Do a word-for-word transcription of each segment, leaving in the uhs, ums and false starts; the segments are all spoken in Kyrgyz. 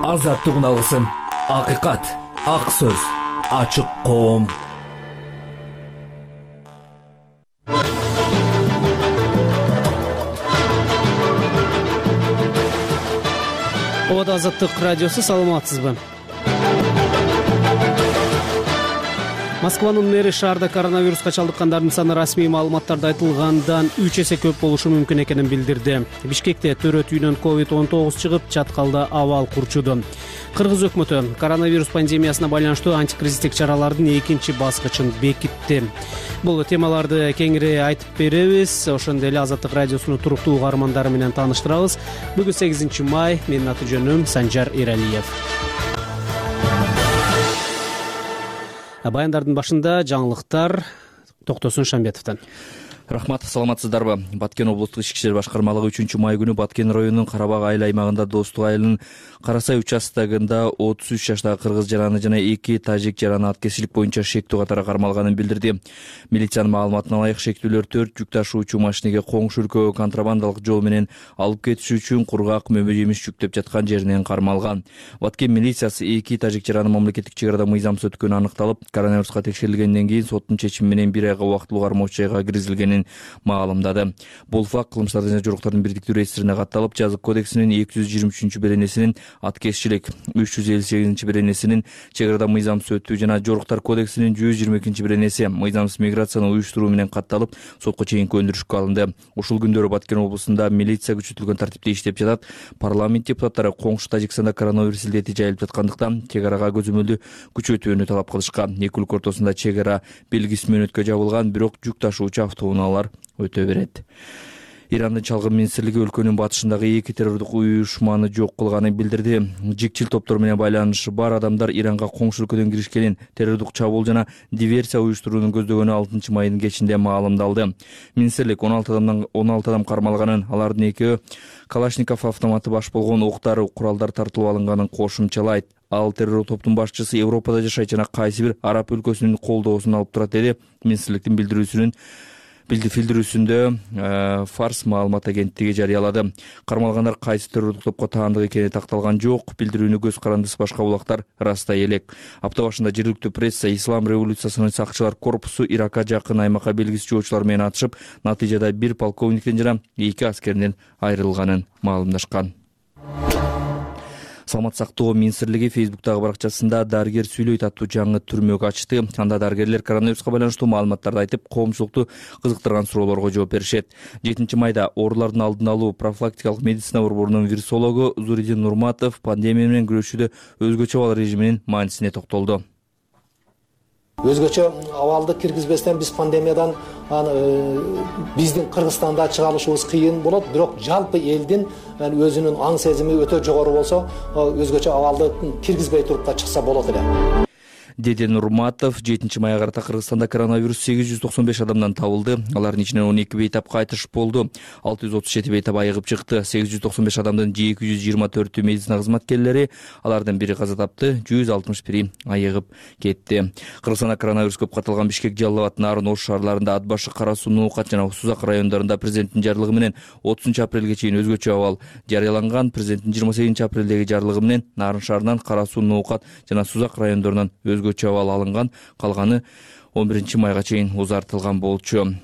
азаттык алгысын. Акыйкат, ак сөз, ачык коом. Ода Азаттык радиосу, саламатсызбы? Москванын мэри шаарда коронавируска чалдыккандардын саны расмий маалыматтарда айтылгандан үч эсе көп болушу мүмкүн экенин билдирди. Бишкекте төрөт үйүнөн ковид он тогуз чыгып, Чаткалда абал курчуду. Кыргыз өкмөтү коронавирус пандемиясына байланыштуу антикризистик чаралардын экинчи баскычын бекитти. Бул темаларды кеңири айтып беребиз. Ошондой эле Азаттык радиосунун туруктуу угармандары менен тааныштырабыз. Бүгүн сегизинчи май, менин аты жөнүм Санжар Эралиев. Баяндардын башында жаңылыктар Токтосун Шамбетовдон. Рахмат, саламатсыздарбы? Баткен облустук ички иштер башкармалыгы үчүнчү май күнү Баткен районунун Карабак айыл аймагында Достук айылынын Карасай участогунда отуз үч жаштагы кыргыз жараны жана эки тажик жараны аткезчилик боюнча шектүү катары кармалганын билдирди. Милициянын маалыматына ылайык, шектүүлөр төрт жүк ташуучу машинеге коңшу өлкөгө контрабандалык жол менен алып кетиш үчүн кургак мөмө жемиш жүктөп жаткан жеринен кармалган. Баткен милициясы эки тажик жараны мамлекеттик чек арада мыйзамсыз өткөнү аныкталып, коронавируска текшерилгенден кийин соттун чечими менен бир айга убактылуу кармоочу жайга киргизилгенин маалымдады. Бул факт кылмыштардын жана жоруктардын бирдиктүү реестрине катталып, жазык кодексинин эки жүз жыйырма үчүнчү беренесинин аткезчилик, үч жүз элүү сегизинчи беренесинин чек арада мыйзамсыз өтүү жана жоруктар кодексинин жүз жыйырма экинчи беренеси мыйзамсыз миграцияны уюштуруу менен катталып, сотко чейинки өндүрүшкө алынды. Ушул күндөрү Баткен облусунда милиция күчөтүлгөн тартипте иштеп жатат. Парламент депутаттары коңшу Тажикстанда коронавирус илдети жайылып жаткандыктан чек арага көзөмөлдү күчөтүүнү талап кылышкан. Эки өлкө ортосунда чек ара белгисиз мөөнөткө жабылган, бирок жүк ташуучу автоунаалар өтө берет. Ирандын чалгын министрлиги өлкөнүн батышындагы эки террордук уюшманы жок кылганын билдирди. Жикчил топтор менен байланышы бар адамдар Иранга коңшу өлкөдөн киришкенин, террордук чабуул жана диверсия уюштурууну көздөгөнү алтынчы майдын кечинде маалымдалды. Министрлик он алты адамдан он алты адам кармалганын, алардын экөө Калашников автоматы баш болгон октар, куралдар тартылып алынганын кошумчалайт. Ал террор топтун башчысы Европада жашайт жана кайсы бир араб өлкөсүнүн колдоосун алып турат, деди министрликтин билдирүүсүнүн билдирүүсүндө Фарс маалымат агенттиги жарыялады. Кармалгандар кайсы террордук топко таандык экени такталган жок. Билдирүүнү көз карандысыз башка булактар растай элек. Апта башында жергиликтүү пресса Ислам революциясынын сакчылар корпусу Иракка жакын аймакка белгисиз жоочулар менен атышып, натыйжада бир полковниктен жана эки аскерден айрылганын маалымдашкан. Саламат сактоо министрлиги Фейсбуктагы баракчасында дарыгер сүйлөйт аттуу жаңы түрмөгү ачты. Анда дарыгерлер коронавируска байланыштуу маалыматтарды айтып, коомчулукту кызыктырган суроолорго жооп беришет. жетинчи майда оорулардын алдын алуу профилактикалык медицина борборунун вирусологу Зуридин Нурматов пандемия менен күрөшүүдө өзгөчө абал режиминин маанисине токтолду. Өзгөчө абалды киргизбестен биз пандемиядан биздин Кыргызстанда чыга алышыбыз кыйын болот, бирок жалпы элдин өзүнүн аң сезими өтө жогору болсо, өзгөчө абалды киргизбей туруп да чыкса болот эле. Деди Нурматов, жетинчи майга карата Кыргызстанда коронавирус сегиз жүз токсон беш адамдан табылды. Алардын ичинен он эки бейтап кайтыш болду. алты жүз отуз жети бейтап айыгып чыкты. сегиз жүз токсон беш адамдын эки жүз жыйырма төртү медицина кызматкерлери, алардын бири каза тапты, жүз алтымыш бири айыгып кетти. Кыргызстанда коронавирус көп катталган Бишкек, Жалал абад, Нарын, Ош шаарларында, Ат башы, Кара Суу, Нуукат жана Сузак райондорунда президенттин жарлыгы менен отузунчу апрелге чейин өзгөчө абал жарыяланган. Президенттин жыйырма сегизинчи апрелдеги жарлыгы менен Нарын шаарынан, Кара Суу, Нуукат жана Сузак райондорунан өзгөчө абал алынган, калганы он биринчи майга чейин узартылган болчу.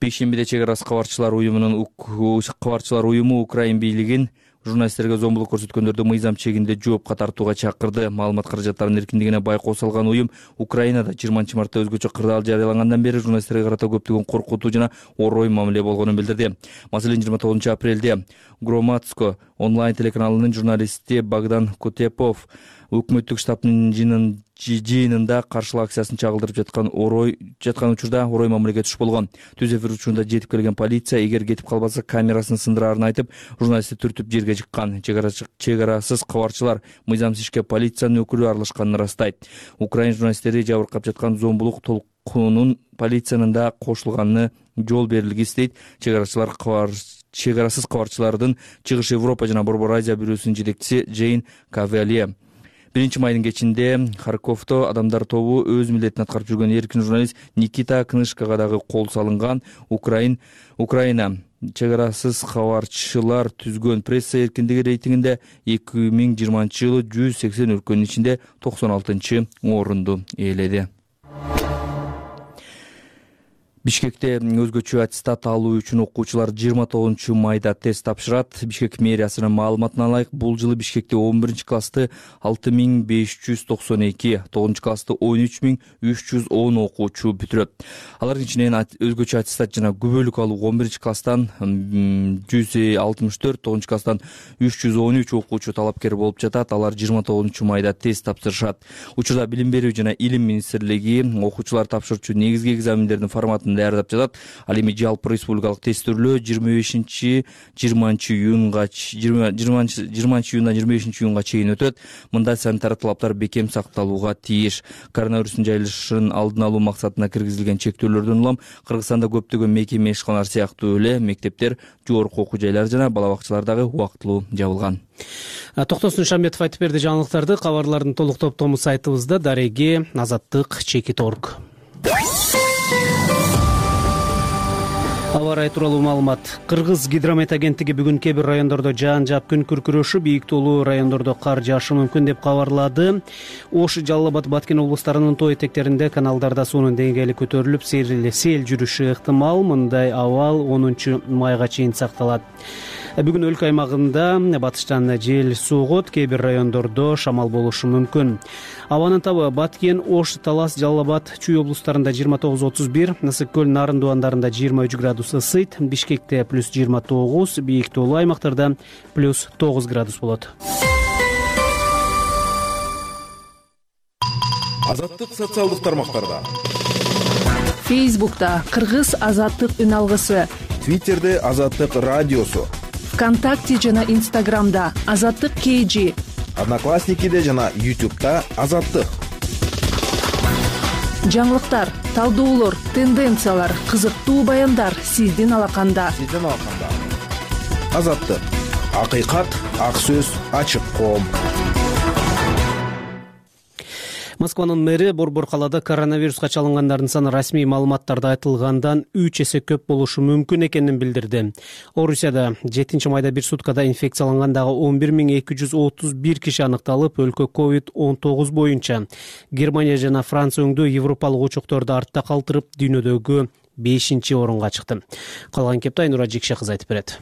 Бейшембиде чек ара кабарчылар уюмунун кабарчылар уюму Украин бийлигин журналисттерге зомбулук көрсөткөндөрдү мыйзам чегинде жоопка тартууга чакырды. Маалымат каражаттарынын эркиндигине байкоо салган уюм Украинада жыйырманчы мартта өзгөчө кырдаал жарыялангандан бери журналисттерге карата көптөгөн коркутуу жана орой мамиле болгонун билдирди. Маселен, жыйырма тогузунчу апрелде Громадско онлайн телеканалынын журналисти Богдан Кутепов өкмөттүк штабтын жыйынында каршылык акциясын чагылдырып жаткан орой жаткан учурда орой мамилеге туш болгон. Түз эфир учурунда жетип келген полиция эгер кетип калбаса камерасын сындырарын айтып, журналистти түртүп жерге жыккан. Чек арасыз кабарчылар мыйзамсыз ишке полициянын өкүлү аралашканын ырастайт. Украин журналисттери жабыркап жаткан зомбулук толкунунун полициянын да кошулганына жол берилгис дейт. Чек арачылар чек арасыз кабарчылардын чыгыш Европа жана Борбор Азия бюросунун жетекчиси Джейн Кавале. биринчи майдын кечинде Харьковдо адамдар тобу өз милдетин аткарып жүргөн эркин журналист Никита Кнышкага дагы кол салынган. Украин Украина чек арасыз кабарчылар түзгөн пресса эркиндиги рейтингинде эки миң жыйырманчы жылы жүз сексен өлкөнүн ичинде токсон алтынчы орунду ээледи. Бишкекте өзгөчө аттестат алуу үчүн окуучулар жыйырма тогузунчу майда тест тапшырат. Бишкек мэриясынын маалыматына ылайык, бул жылы Бишкекте он биринчи классты алты миң беш жүз токсон эки, тогузунчу классты он үч миң үч жүз он окуучу бүтүрөт. Алардын ичинен өзгөчө аттестат жана күбөлүк алуу он биринчи класстан жүз алтымыш төрт, тогузунчу класстан үч жүз он үч окуучу талапкер болуп жатат. Алар жыйырма тогузунчу майда тест тапшырышат. Учурда Билим берүү жана Илим министрлиги окуучулар тапшырчу негизги экзамендердин форматын даярдап жатат. Ал эми жалпы республикалык тестөөлөө жыйырма бешинчи жыйырманчы июнга жыйырманчы июндан жыйырма бешинчи июнга чейин өтөт. Мында санитар талаптар бекем сакталууга тийиш. Коронавирустун жайылышын алдын алуу максатына киргизилген чектөөлөрдөн улам Кыргызстанда көптөгөн мекеме ишканалар сыяктуу эле мектептер, жогорку окуу жайлар жана бала бакчалар дагы убактылуу жабылган. Токтосун Шамбетов айтып берди жаңылыктарды. Кабарлардын толук топтому сайтыбызда дареги азаттык чекит точка орг. Аба ырайы тууралуу маалымат. Кыргыз гидромет агенттиги бүгүн кээ бир райондордо жаан жаап күн күркүрөшү, бийик тоолуу райондордо кар жаашы мүмкүн деп кабарлады. Ош, Жалал Абад, Баткен облустарынын тоо этектеринде каналдарда суунун деңгээли көтөрүлүп, сел жүрүшү ыктымал. Мындай абал онунчу майга чейин сакталат. Бүгүн өлкө аймагында батыштан жел согот, кээ бир райондордо шамал болушу мүмкүн. Абанын табы Баткен, Ош, Талас, Жалал Абад, Чүй облустарында жыйырма тогуз отуз бир, Ысык көл, Нарын дубандарында жыйырма үч градус ысыйт, Бишкекте плюс жыйырма тогуз, бийик тоолуу аймактарда плюс тогуз градус болот. Азаттык социалдык тармактарда. Фейсбукта Кыргыз азаттык үн алгысы, Твиттерде Азаттык радиосу, ВКонтакте жана Инстаграмда Азаттык кей жи, Одноклассникиде жана Ютубта Азаттык. Жаңылыктар, талдоолор, тенденциялар, кызыктуу баяндар сиздин алаканда. Сиздин алаканда. Азаттык. Акыйкат, ак сөз, ачык коом. Москванын мэри Борбор калаада коронавируска чалынгандардын саны расмий маалыматтарда айтылгандан үч эсе көп болушу мүмкүн экенин билдирди. Орусияда жетинчи майда бир суткада инфекциялангандагы он бир миң эки жүз отуз бир киши аныкталып, өлкө ковид он тогуз боюнча Германия жана Франция өңдүү европалык учокторду артта калтырып, дүйнөдөгү бешинчи орунга чыкты. Калган кепти Айнура Жекше кызы айтып берет.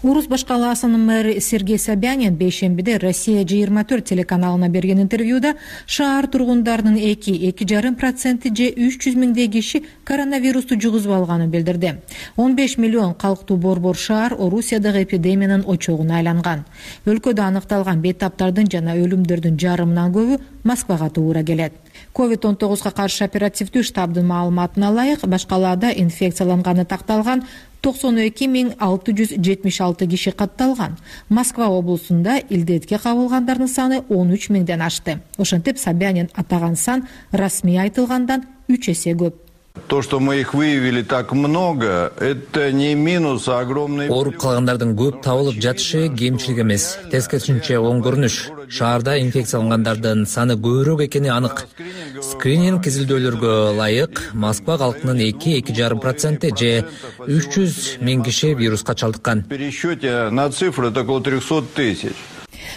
Уруз баш калаасынын мэри Сергей Собянин бейшембиде Россия жыйырма төрт телеканалына берген интервьюда шаар тургундарынын эки эки жарым проценти же үч жүз миңдей киши коронавирусту жугузуп алганын билдирди. он беш миллион калктуу Борбор шаар Орусиядагы эпидемиянын очогуна айланган. Өлкөдө аныкталган бейтаптардын жана өлүмдөрдүн жарымынан көбү Москвага туура келет. ковид он тогузга каршы оперативдүү штабдын маалыматына ылайык, баш калаада инфекцияланганы такталган токсон эки миң алты жүз жетимиш алты киши катталган. Москва облусунда илдетке кабылгандардын саны он үч миңден ашты. Ошентип Собянин атаган сан расмий айтылгандан үч эсе көп. То, что мы их выявили так много, это не минус, а огромный... Ооруп калгандардын көп табылып жатышы кемчилик эмес, тескерисинче оң көрүнүш. Шаарда инфекциялангандардын саны көбүрөөк экени анык. Скрининг изилдөөлөргө ылайык Москва калкынын эки эки жарым проценти же үч жүз миң киши вируска чалдыккан. В пересчете на цифры это около трехсот тысяч.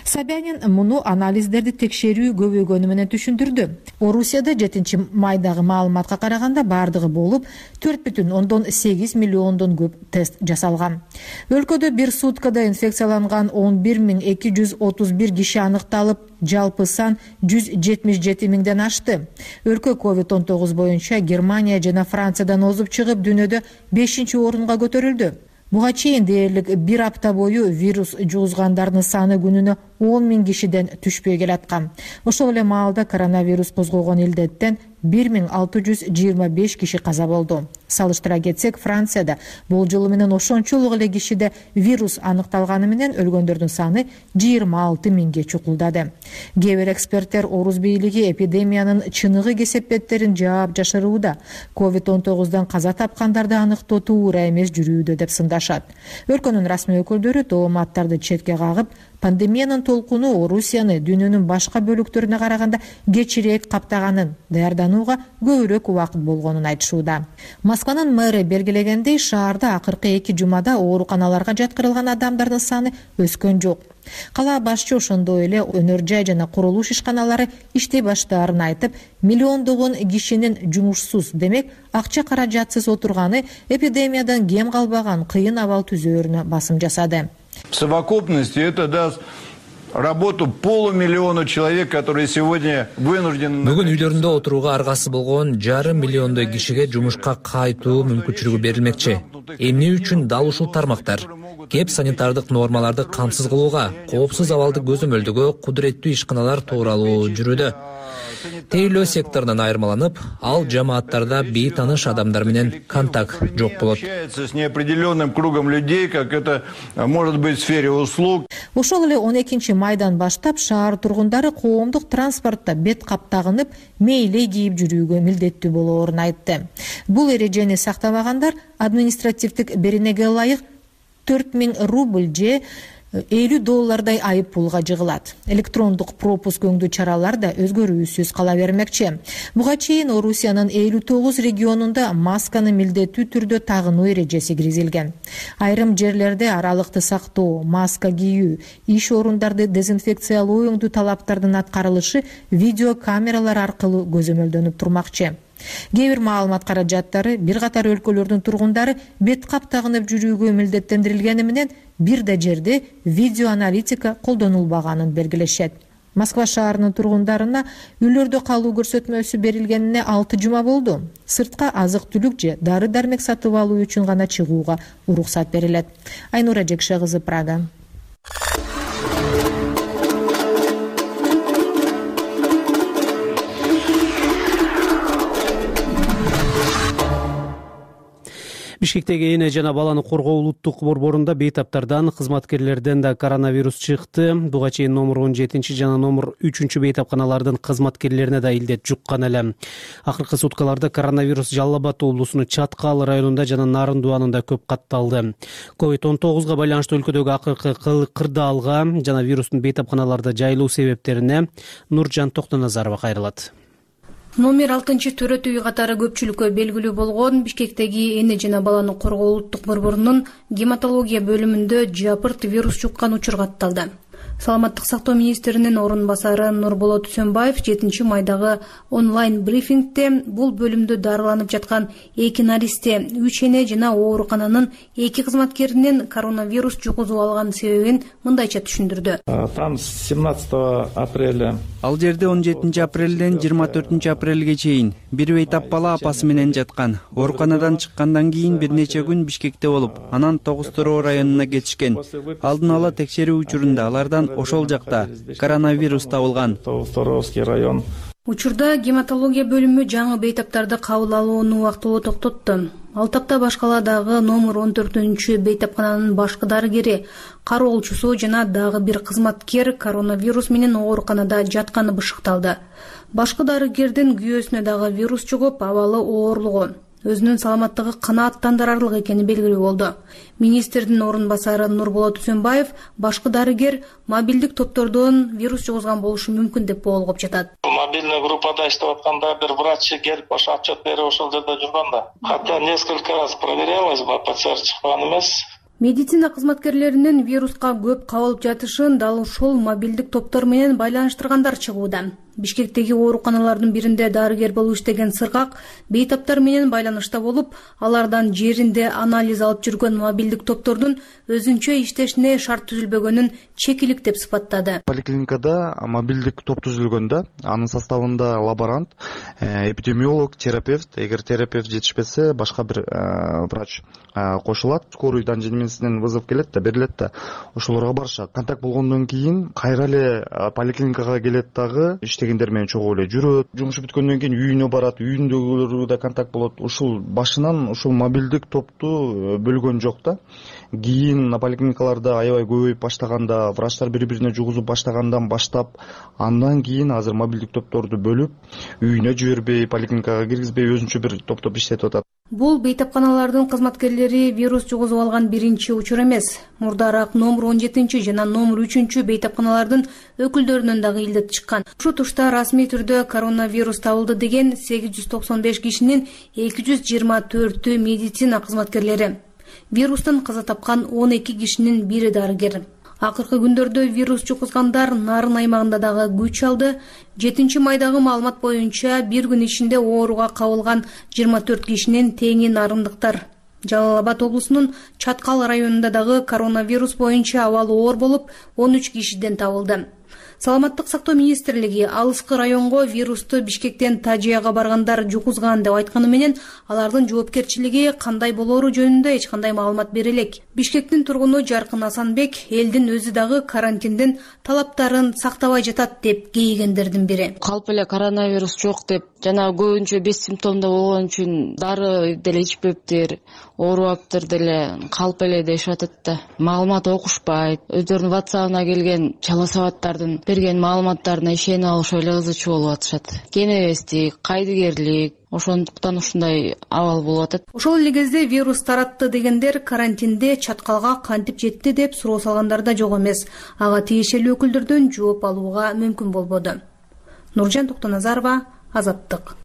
Собянин муну анализдерди текшерүү көбөйгөнү менен түшүндүрдү. Орусияда жетинчи майдагы маалыматка караганда бардыгы болуп төрт бүтүн ондон сегиз миллиондон көп тест жасалган. Өлкөдө бир суткада инфекцияланган он бир миң эки жүз отуз бир киши аныкталып, жалпы сан жүз жетимиш жети миңден ашты. Өлкө ковид он тогуз боюнча Германия жана Франциядан озуп чыгып, дүйнөдө бешинчи орунга көтөрүлдү. Буга чейин дээрлик бир апта бою вирус жугузгандардын саны күнүнө он миң кишиден түшпөй келаткан. Ошол эле маалда коронавирус козгогон илдеттен бир миң алты жүз жыйырма беш киши каза болду. Салыштыра кетсек, Францияда болжолу менен ошончолук эле кишиде вирус аныкталганы менен өлгөндөрдүн саны жыйырма алты миңге чукулдады. Кээ бир эксперттер Орус бийлиги эпидемиянын чыныгы кесепеттерин жаап жашырууда. ковид он тогуздан каза тапкандарды аныктоо туура эмес жүрүүдө деп сындашат. Өлкөнүн расмий өкүлдөрү тооматтарды четке кагып, пандемиянын толкуну Орусияны дүйнөнүн башка бөлүктөрүнө караганда кечирээк каптаганын, даярданууга көбүрөөк убакыт болгонун айтышууда. Москванын мэрі белгилегендей, шаарда акыркы эки жумада ооруканаларга жаткырылган адамдардын саны өскөн жок. Кала башчы ошондой эле өнөр жай жана курулуш ишканалары иштей баштаарын айтып, миллиондогон кишинин жумушсуз, демек акча каражатсыз отурганы эпидемиядан кем калбаган кыйын абал түзөөрүнө басым жасады. В совокупности это даст работу полумиллиона человек, которые сегодня вынуждены... Бүгүн үйлөрүндө отурууга аргасы болгон жарым миллиондой кишиге жумушка кайтуу мүмкүнчүлүгү берилмекчи. Эмне үчүн дал ушул тармактар кеп санитардык нормаларды камсыз кылууга, коопсуз абалды көзөмөлдөгө кудуреттүү ишканалар тууралуу жүрүүдө. Тейлөө секторунан айырмаланып, ал жамааттарда бейтаныш адамдар менен контакт жок болот. С неопределенным кругом людей, как это может быть в сфере услуг. Ошол эле он экинчи майдан баштап шаар тургундары коомдук транспортто бет каптагынып, мейлей кийип жүрүүгө милдеттүү болоорун айтты. Бул эрежени сактабагандар административдик беренеге ылайык төрт миң рубль же элүү доллардай айып пулга жыгылат. Электрондук пропуск өңдүү чаралар да өзгөрүүсүз кала бермекчи. Буга чейин Орусиянын элүү тогуз регионунда масканы милдеттүү түрдө тагынуу эрежеси киргизилген. Айрым жерлерде аралыкты сактоо, маска кийүү, иш орундарды дезинфекциялоо өңдүү талаптардын аткарылышы видео камералар аркылуу көзөмөлдөнүп турмакчы. Кээ бир маалымат каражаттары бир катар өлкөлөрдүн тургундары бет каптагынып жүрүүгө милдеттендирилгени менен бир да жерде видеоаналитика колдонулбаганын белгилешет. Москва шаарынын тургундарына үйлөрдө калуу көрсөтмөсү берилгенине алты жума болду. Сыртка азык-түлүк же дары-дармек сатып алуу үчүн гана чыгууга уруксат берилет. Айнура Жекше кызы, Прага. Бишкектеги эне жана баланы коргоо улуттук борборунда бейтаптардан, кызматкерлерден да коронавирус чыкты. Буга чейин номер он жетинчи жана номер үчүнчү бейтапканалардын кызматкерлерине да илдет жуккан эле. Акыркы суткаларда коронавирус Жалал Абад облусунун Чаткал районунда жана Нарындуанында көп катталды. ковид он тогузга байланыштуу өлкөдөгү акыркы кырдаалга жана вирустун бейтапканаларда жайылуу себептерине Нуржан Токтоназарова кайрылат. Номер алтынчы төрөт үй катары көпчүлүккө белгилүү болгон Бишкектеги эне жана баланы коргоо улуттук борборунун гематология бөлүмүндө жапырт вирус жуккан учур катталды. Саламаттык сактоо министринин орун басары Нурболот Үсөнбаев жетинчи майдагы онлайн брифингде бул бөлүмдө дарыланып жаткан эки наристе, үч эне жана оорукананын эки кызматкеринин коронавирус жугузуп алган себебин мындайча түшүндүрдү. Там с семнадцатого апреля. Ал жерде он жетинчи апрелден жыйырма төртүнчү апрелге чейин бир бейтап бала апасы менен жаткан. Ооруканадан чыккандан кийин бир нече күн Бишкекте болуп, анан Тогуз Тороо районуна кетишкен. Алдын ала текшерүү учурунда алардан ошол жакта коронавирус табылган. Торовский район. Учурда гематология бөлүмү жаңы бейтаптарды кабыл алууну убактылуу токтотту. Ал тапта башкаладагы номер он төртүнчү бейтапкананын башкы дарыгери, кароолчусу жана дагы бир кызматкер коронавирус менен ооруканада жатканы бышыкталды. Башкы дарыгердин күйөөсүнө дагы вирус чугуп, абалы оорлугу, өзүнүн саламаттыгы канааттандырарлык экени белгилүү болду. Министрдин орун басары Нурболот Үсөнбаев башкы дарыгер мобилдик топтордон вирус жугузган болушу мүмкүн деп болгоп жатат. Мобильный группада иштеп атканда бир врач келип ошо отчет берип ошол жерде жүргөн да. Хотя несколько раз проверялось, ПЦР чыккан эмес. Медицина кызматкерлеринин вируска көп кабылып жатышын дал ушул мобилдик топтор менен байланыштыргандар чыгууда. Бишкектеги ооруканалардын биринде дарыгер болуп иштеген сыргак бейтаптар менен байланышта болуп, алардан жеринде анализ алып жүргөн мобилдик топтордун өзүнчө иштешине шарт түзүлбөгөнүн чекилик деп сыпаттады. Поликлиникада мобилдик топ түзүлгөндө, анын составында лаборант, эпидемиолог, терапевт, эгер терапевт жетишпесе, башка бир врач кошулат. Скорыйдан жеңимесинен вызов келет да, берилет да, ошолорго барышат. Контакт болгондон кийин кайра эле поликлиникага келет дагы, иштегендер менен чогуу эле жүрөт. Жумушу бүткөндөн кийин үйүнө барат, үйүндөгүлөр да контакт болот. Ушул башынан ушул мобилдик топту бөлгөн жок да. Кийин поликлиникаларда аябай көбөйүп баштаганда, врачтар бири-бирине жугузуп баштагандан баштап, андан кийин азыр мобилдик топторду бөлүп, үйүнө жибербей, поликлиникага киргизбей өзүнчө бир топтоп иштетип атат. Бул бейтапканалардын кызматкерлери вирус жугузуп алган биринчи учур эмес. Мурдараак номер он жетинчи жана номер үчүнчү бейтапканалардын өкүлдөрүнөн дагы илдет чыккан. Ушул тушта расмий түрдө коронавирус табылды деген сегиз жүз токсон беш кишинин эки жүз жыйырма төртү медицина кызматкерлери. Вирустан каза тапкан он эки кишинин бири дарыгер. Акыркы күндөрдө вирус жугузгандар Нарын аймагында дагы күч алды. жетинчи майдагы маалымат боюнча бир күн ичинде ооруга кабылган жыйырма төрт кишинин теңи нарындыктар. Жалал Абад облусунун Чаткал районунда дагы коронавирус боюнча абалы оор болуп, он үч кишиден табылды. Саламаттык сактоо министрлиги алыскы районго вирусту Бишкектен Тажияга баргандар жугузган деп айтканы менен, алардын жоопкерчилиги кандай болору жөнүндө эч кандай маалымат бере элек. Бишкектин тургуну Жаркын Асанбек элдин өзү дагы карантиндин талаптарын сактабай жатат деп кейигендердин бири. Калп эле коронавирус жок деп, жана көбүнчө бес симптомдо болгон үчүн дары деле ичпептир, оорубаптыр деле, калп эле дешип атат да. Маалымат окушпайт. Өздөрүнүн WhatsApp-ына келген чала сабаттардын берген маалыматтарына ишенип алышып эле кызычуу болуп атышат. Кенебестик, кайдыгерлик, ошондуктан ушундай абал болуп атат. Ошол эле кезде вирус таратты дегендер карантинде Чаткалга кантип жетти деп суроо салгандар да жок эмес. Ага тиешелүү өкүлдөрдөн жооп алууга мүмкүн болбоду. Нуржан Токтоназарова, Азаттык.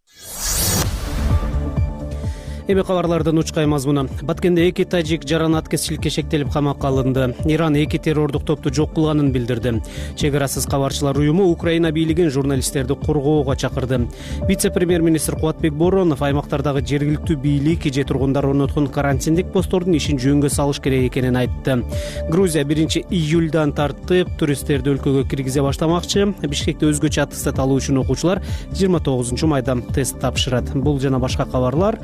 Эми кабарлардын учкай мазмуну. Баткенде эки тажик жаран аткезчиликке шектелип камакка алынды. Иран эки террордук топту жок кылганын билдирди. Чек арасыз кабарчылар уюму Украина бийлигин журналисттерди коргоого чакырды. Вице-премьер-министр Кубатбек Боронов аймактардагы жергиликтүү бийлик же тургундар орноткон карантиндик посттордун ишин жөнгө салыш керек экенин айтты. Грузия биринчи июльдан тартып туристтерди өлкөгө киргизе баштамакчы. Бишкекте өзгөчө аттестат алуу үчүн окуучулар жыйырма тогузунчу майда тест тапшырат. Бул жана башка кабарлар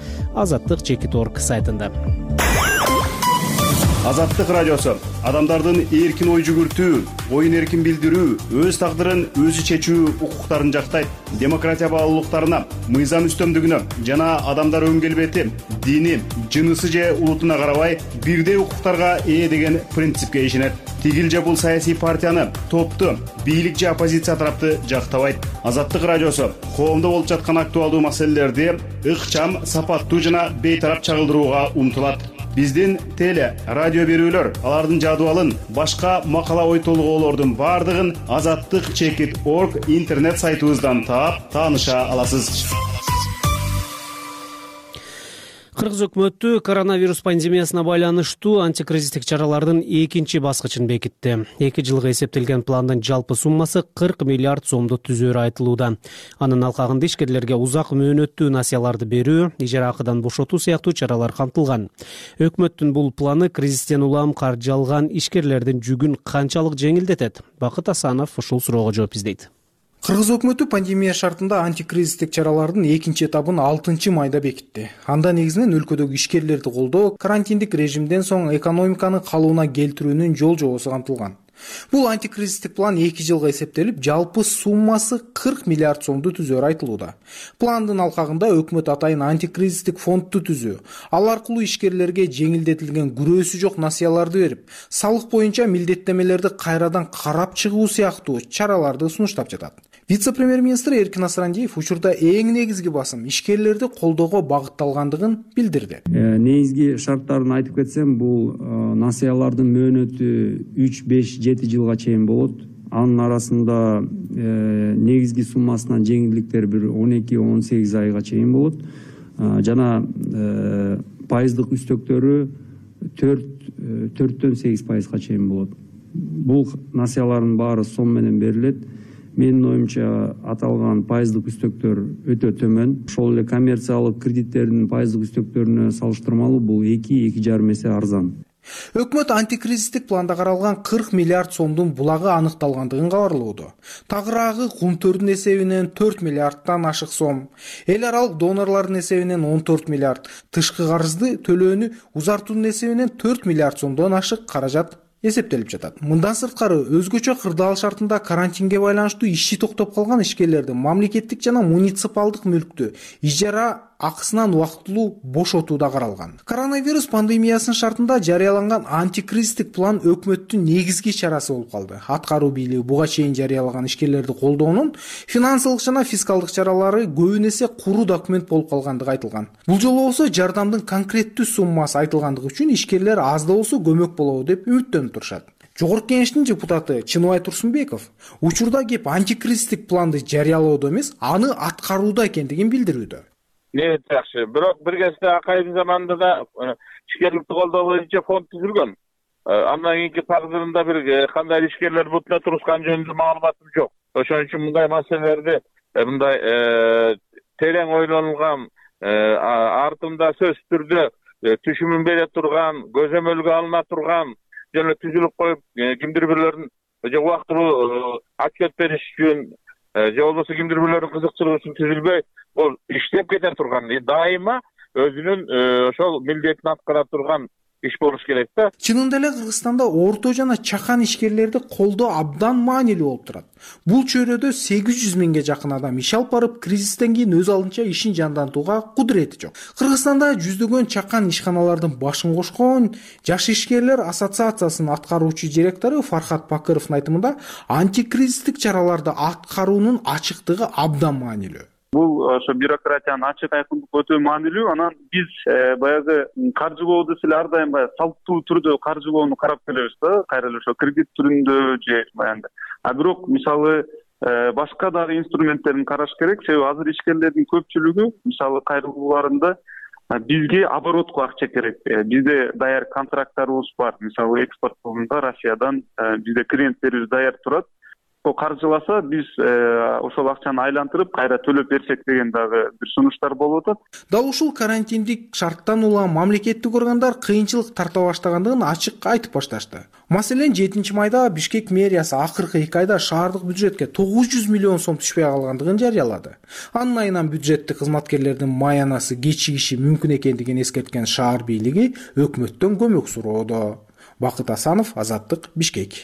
Азаттык Чекит орг сайтында. Азаттык радиосу адамдардын эркин ой жүгүртүү, оюн эркин билдирүү, өз тагдырын өзү чечүү укуктарын жактайт. Демократия баалуулуктарына, мыйзам үстөмдүгүнө жана адамдар өн келбети, дини, жынысы же улутуна карабай бирдей укуктарга ээ деген принципке ишенет. Тигил же бул саясий партияны, топту, бийлик же оппозиция тарапты жактабайт. Азаттык радиосу коомдо болуп жаткан актуалдуу маселелерди ыкчам, сапаттуу жана бейтарап чагылдырууга умтулат. Биздин теле, радио берүүлөр, алардын жадыбалын, башка макала ой толгоолордун бардыгын азаттык чекит точка орг интернет сайтыбыздан таап, тааныша аласыз. Кыргыз өкмөтү коронавирус пандемиясына байланыштуу антикризистик чаралардын экинчи баскычын бекитти. эки жылга эсептелген пландын жалпы суммасы кырк миллиард сомду түзөөрү айтылууда. Анын алкагында ишкерлерге узак мөөнөттүү насыяларды берүү, ижара акыдан бошотуу сыяктуу чаралар камтылган. Өкмөттүн бул планы кризистен улам каржы алган ишкерлердин жүгүн канчалык жеңилдетет? Бакыт Асанов ушул суроого жооп издейт. Кыргыз өкмөтү пандемия шартында антикризистик чаралардын экинчи этабын алтынчы майда бекитти. Анда негизинен өлкөдөгү ишкерлерди колдоо, карантиндик режимден соң экономиканы калыбына келтирүүнүн жол жобосу камтылган. Бул антикризистик план эки жылга эсептелип, жалпы суммасы кырк миллиард сомду түзөөрү айтылууда. Пландын алкагында өкмөт атайын антикризистик фондду түзүү, ал аркылуу ишкерлерге жеңилдетилген күрөөсү жок насыяларды берип, салык боюнча милдеттемелерди кайрадан карап чыгуу сыяктуу чараларды сунуштап жатат. Вице-премьер-министр Эркин Асрандиев учурда эң негизги басым ишкерлерди колдоого багытталгандыгын билдирди. Негизги шарттарын айтып кетсем, бул насыялардын мөөнөтү үч, беш, жети жылга чейин болот. Анын арасында негизги суммасынан жеңилдиктер бир он эки, он сегиз айга чейин болот. Жана пайыздык үстөктөрү төрттөн сегиз пайызга чейин болот. Бул насыялардын баары сом менен берилет. Менин оюмча аталган пайыздык үстөктөр өтө төмөн. Ошол эле коммерциялык кредиттердин пайыздык үстөктөрүнө салыштырмалуу бул эки, эки жарым эсе арзан. Өкмөт антикризистик планда каралган кырк миллиард сомдун булагы аныкталгандыгын кабарлоодо. Тагыраагы кумтөрдүн эсебинен төрт миллиардтан ашык сом, эл аралык донорлордун эсебинен он төрт миллиард, тышкы карызды төлөөнү узартуунун эсебинен төрт миллиард сомдон ашык каражат эсептелип жатат. Мындан сырткары өзгөчө кырдаал шартында карантинге байланыштуу иши токтоп калган ишкерлерди мамлекеттик жана муниципалдык мүлктү ижара акысынан убактылуу бошотуу да каралган. Коронавирус пандемиясынын шартында жарыяланган антикризистик план өкмөттүн негизги чарасы болуп калды. Аткаруу бийлиги буга чейин жарыялаган ишкерлерди колдоонун финансылык жана фискалдык чаралары көбүн эсе куру документ болуп калгандыгы айтылган. Бул жолу болсо жардамдын конкреттүү суммасы айтылгандыгы үчүн ишкерлер аз да болсо көмөк болобу деп үмүттөнүп турушат. Жогорку Кеңештин депутаты Чыныбай Турсунбеков учурда кеп антикризистик планды жарыялоодо эмес, аны аткарууда экендигин билдирүүдө. Не жакшы, бирок бир кезде акайдын заманында да ишкерликти колдоо боюнча фонд түзүлгөн. Андан кийинки тагдырында бир кандай ишкерлер бутуна турушкан жөнүндө маалыматым жок. Ошон үчүн мындай маселелерди мындай терең ойлонулган, артында сөзсүз түрдө түшүмүн бере турган, көзөмөлгө алына турган жана түзүлүп коюп кимдир бирлерин же убактылуу отчет бериш үчүн же болбосо кимдир бирлердин кызыкчылыгы үчүн түзүлбөй, бул иштеп кете турган, дайыма өзүнүн ошол милдетин аткара турган иш болуш керек да. Чынында эле Кыргызстанда орто жана чакан ишкерлерди колдоо абдан маанилүү болуп турат. Бул чөйрөдө сегиз жүз миңге жакын адам иш алып барып, кризистен кийин өз алдынча ишин жандантууга кудурети жок. Кыргызстанда жүздөгөн чакан ишканалардын башын кошкон Жаш ишкерлер ассоциациясынын аткаруучу директору Фархат Бакыровдун айтымында антикризистик чараларды аткаруунун ачыктыгы абдан маанилүү. Бул ошо бюрократиянын ачык айкындык өтө маанилүү. Анан биз баягы каржылоодо эле ар дайым баягы салттуу түрдө каржылоону карап келебиз да, кайра эле ошо кредит түрүндө же баягы. А бирок мисалы башка дагы инструменттерин караш керек, себеби азыр ишкерлердин көпчүлүгү мисалы кайрылууларында бизге оборотко акча керек. Бизде даяр контракттарыбыз бар. Мисалы экспорт болгондо Россиядан бизде клиенттерибиз даяр турат. Каржыласа биз ошол акчаны айлантырып кайра төлөп берсек деген дагы бир сунуштар болуп атат. Дал ушул карантиндик шарттан улам мамлекеттик органдар кыйынчылык тарта баштагандыгын ачык айтып башташты. Маселен, жетинчи майда Бишкек мэриясы акыркы эки айда шаардык бюджетке тогуз жүз миллион сом түшпөй калгандыгын жарыялады. Анын айынан бюджеттик кызматкерлердин маянасы кечигиши мүмкүн экендигин эскерткен шаар бийлиги өкмөттөн көмөк суроодо. Бакыт Асанов, Азаттык, Бишкек.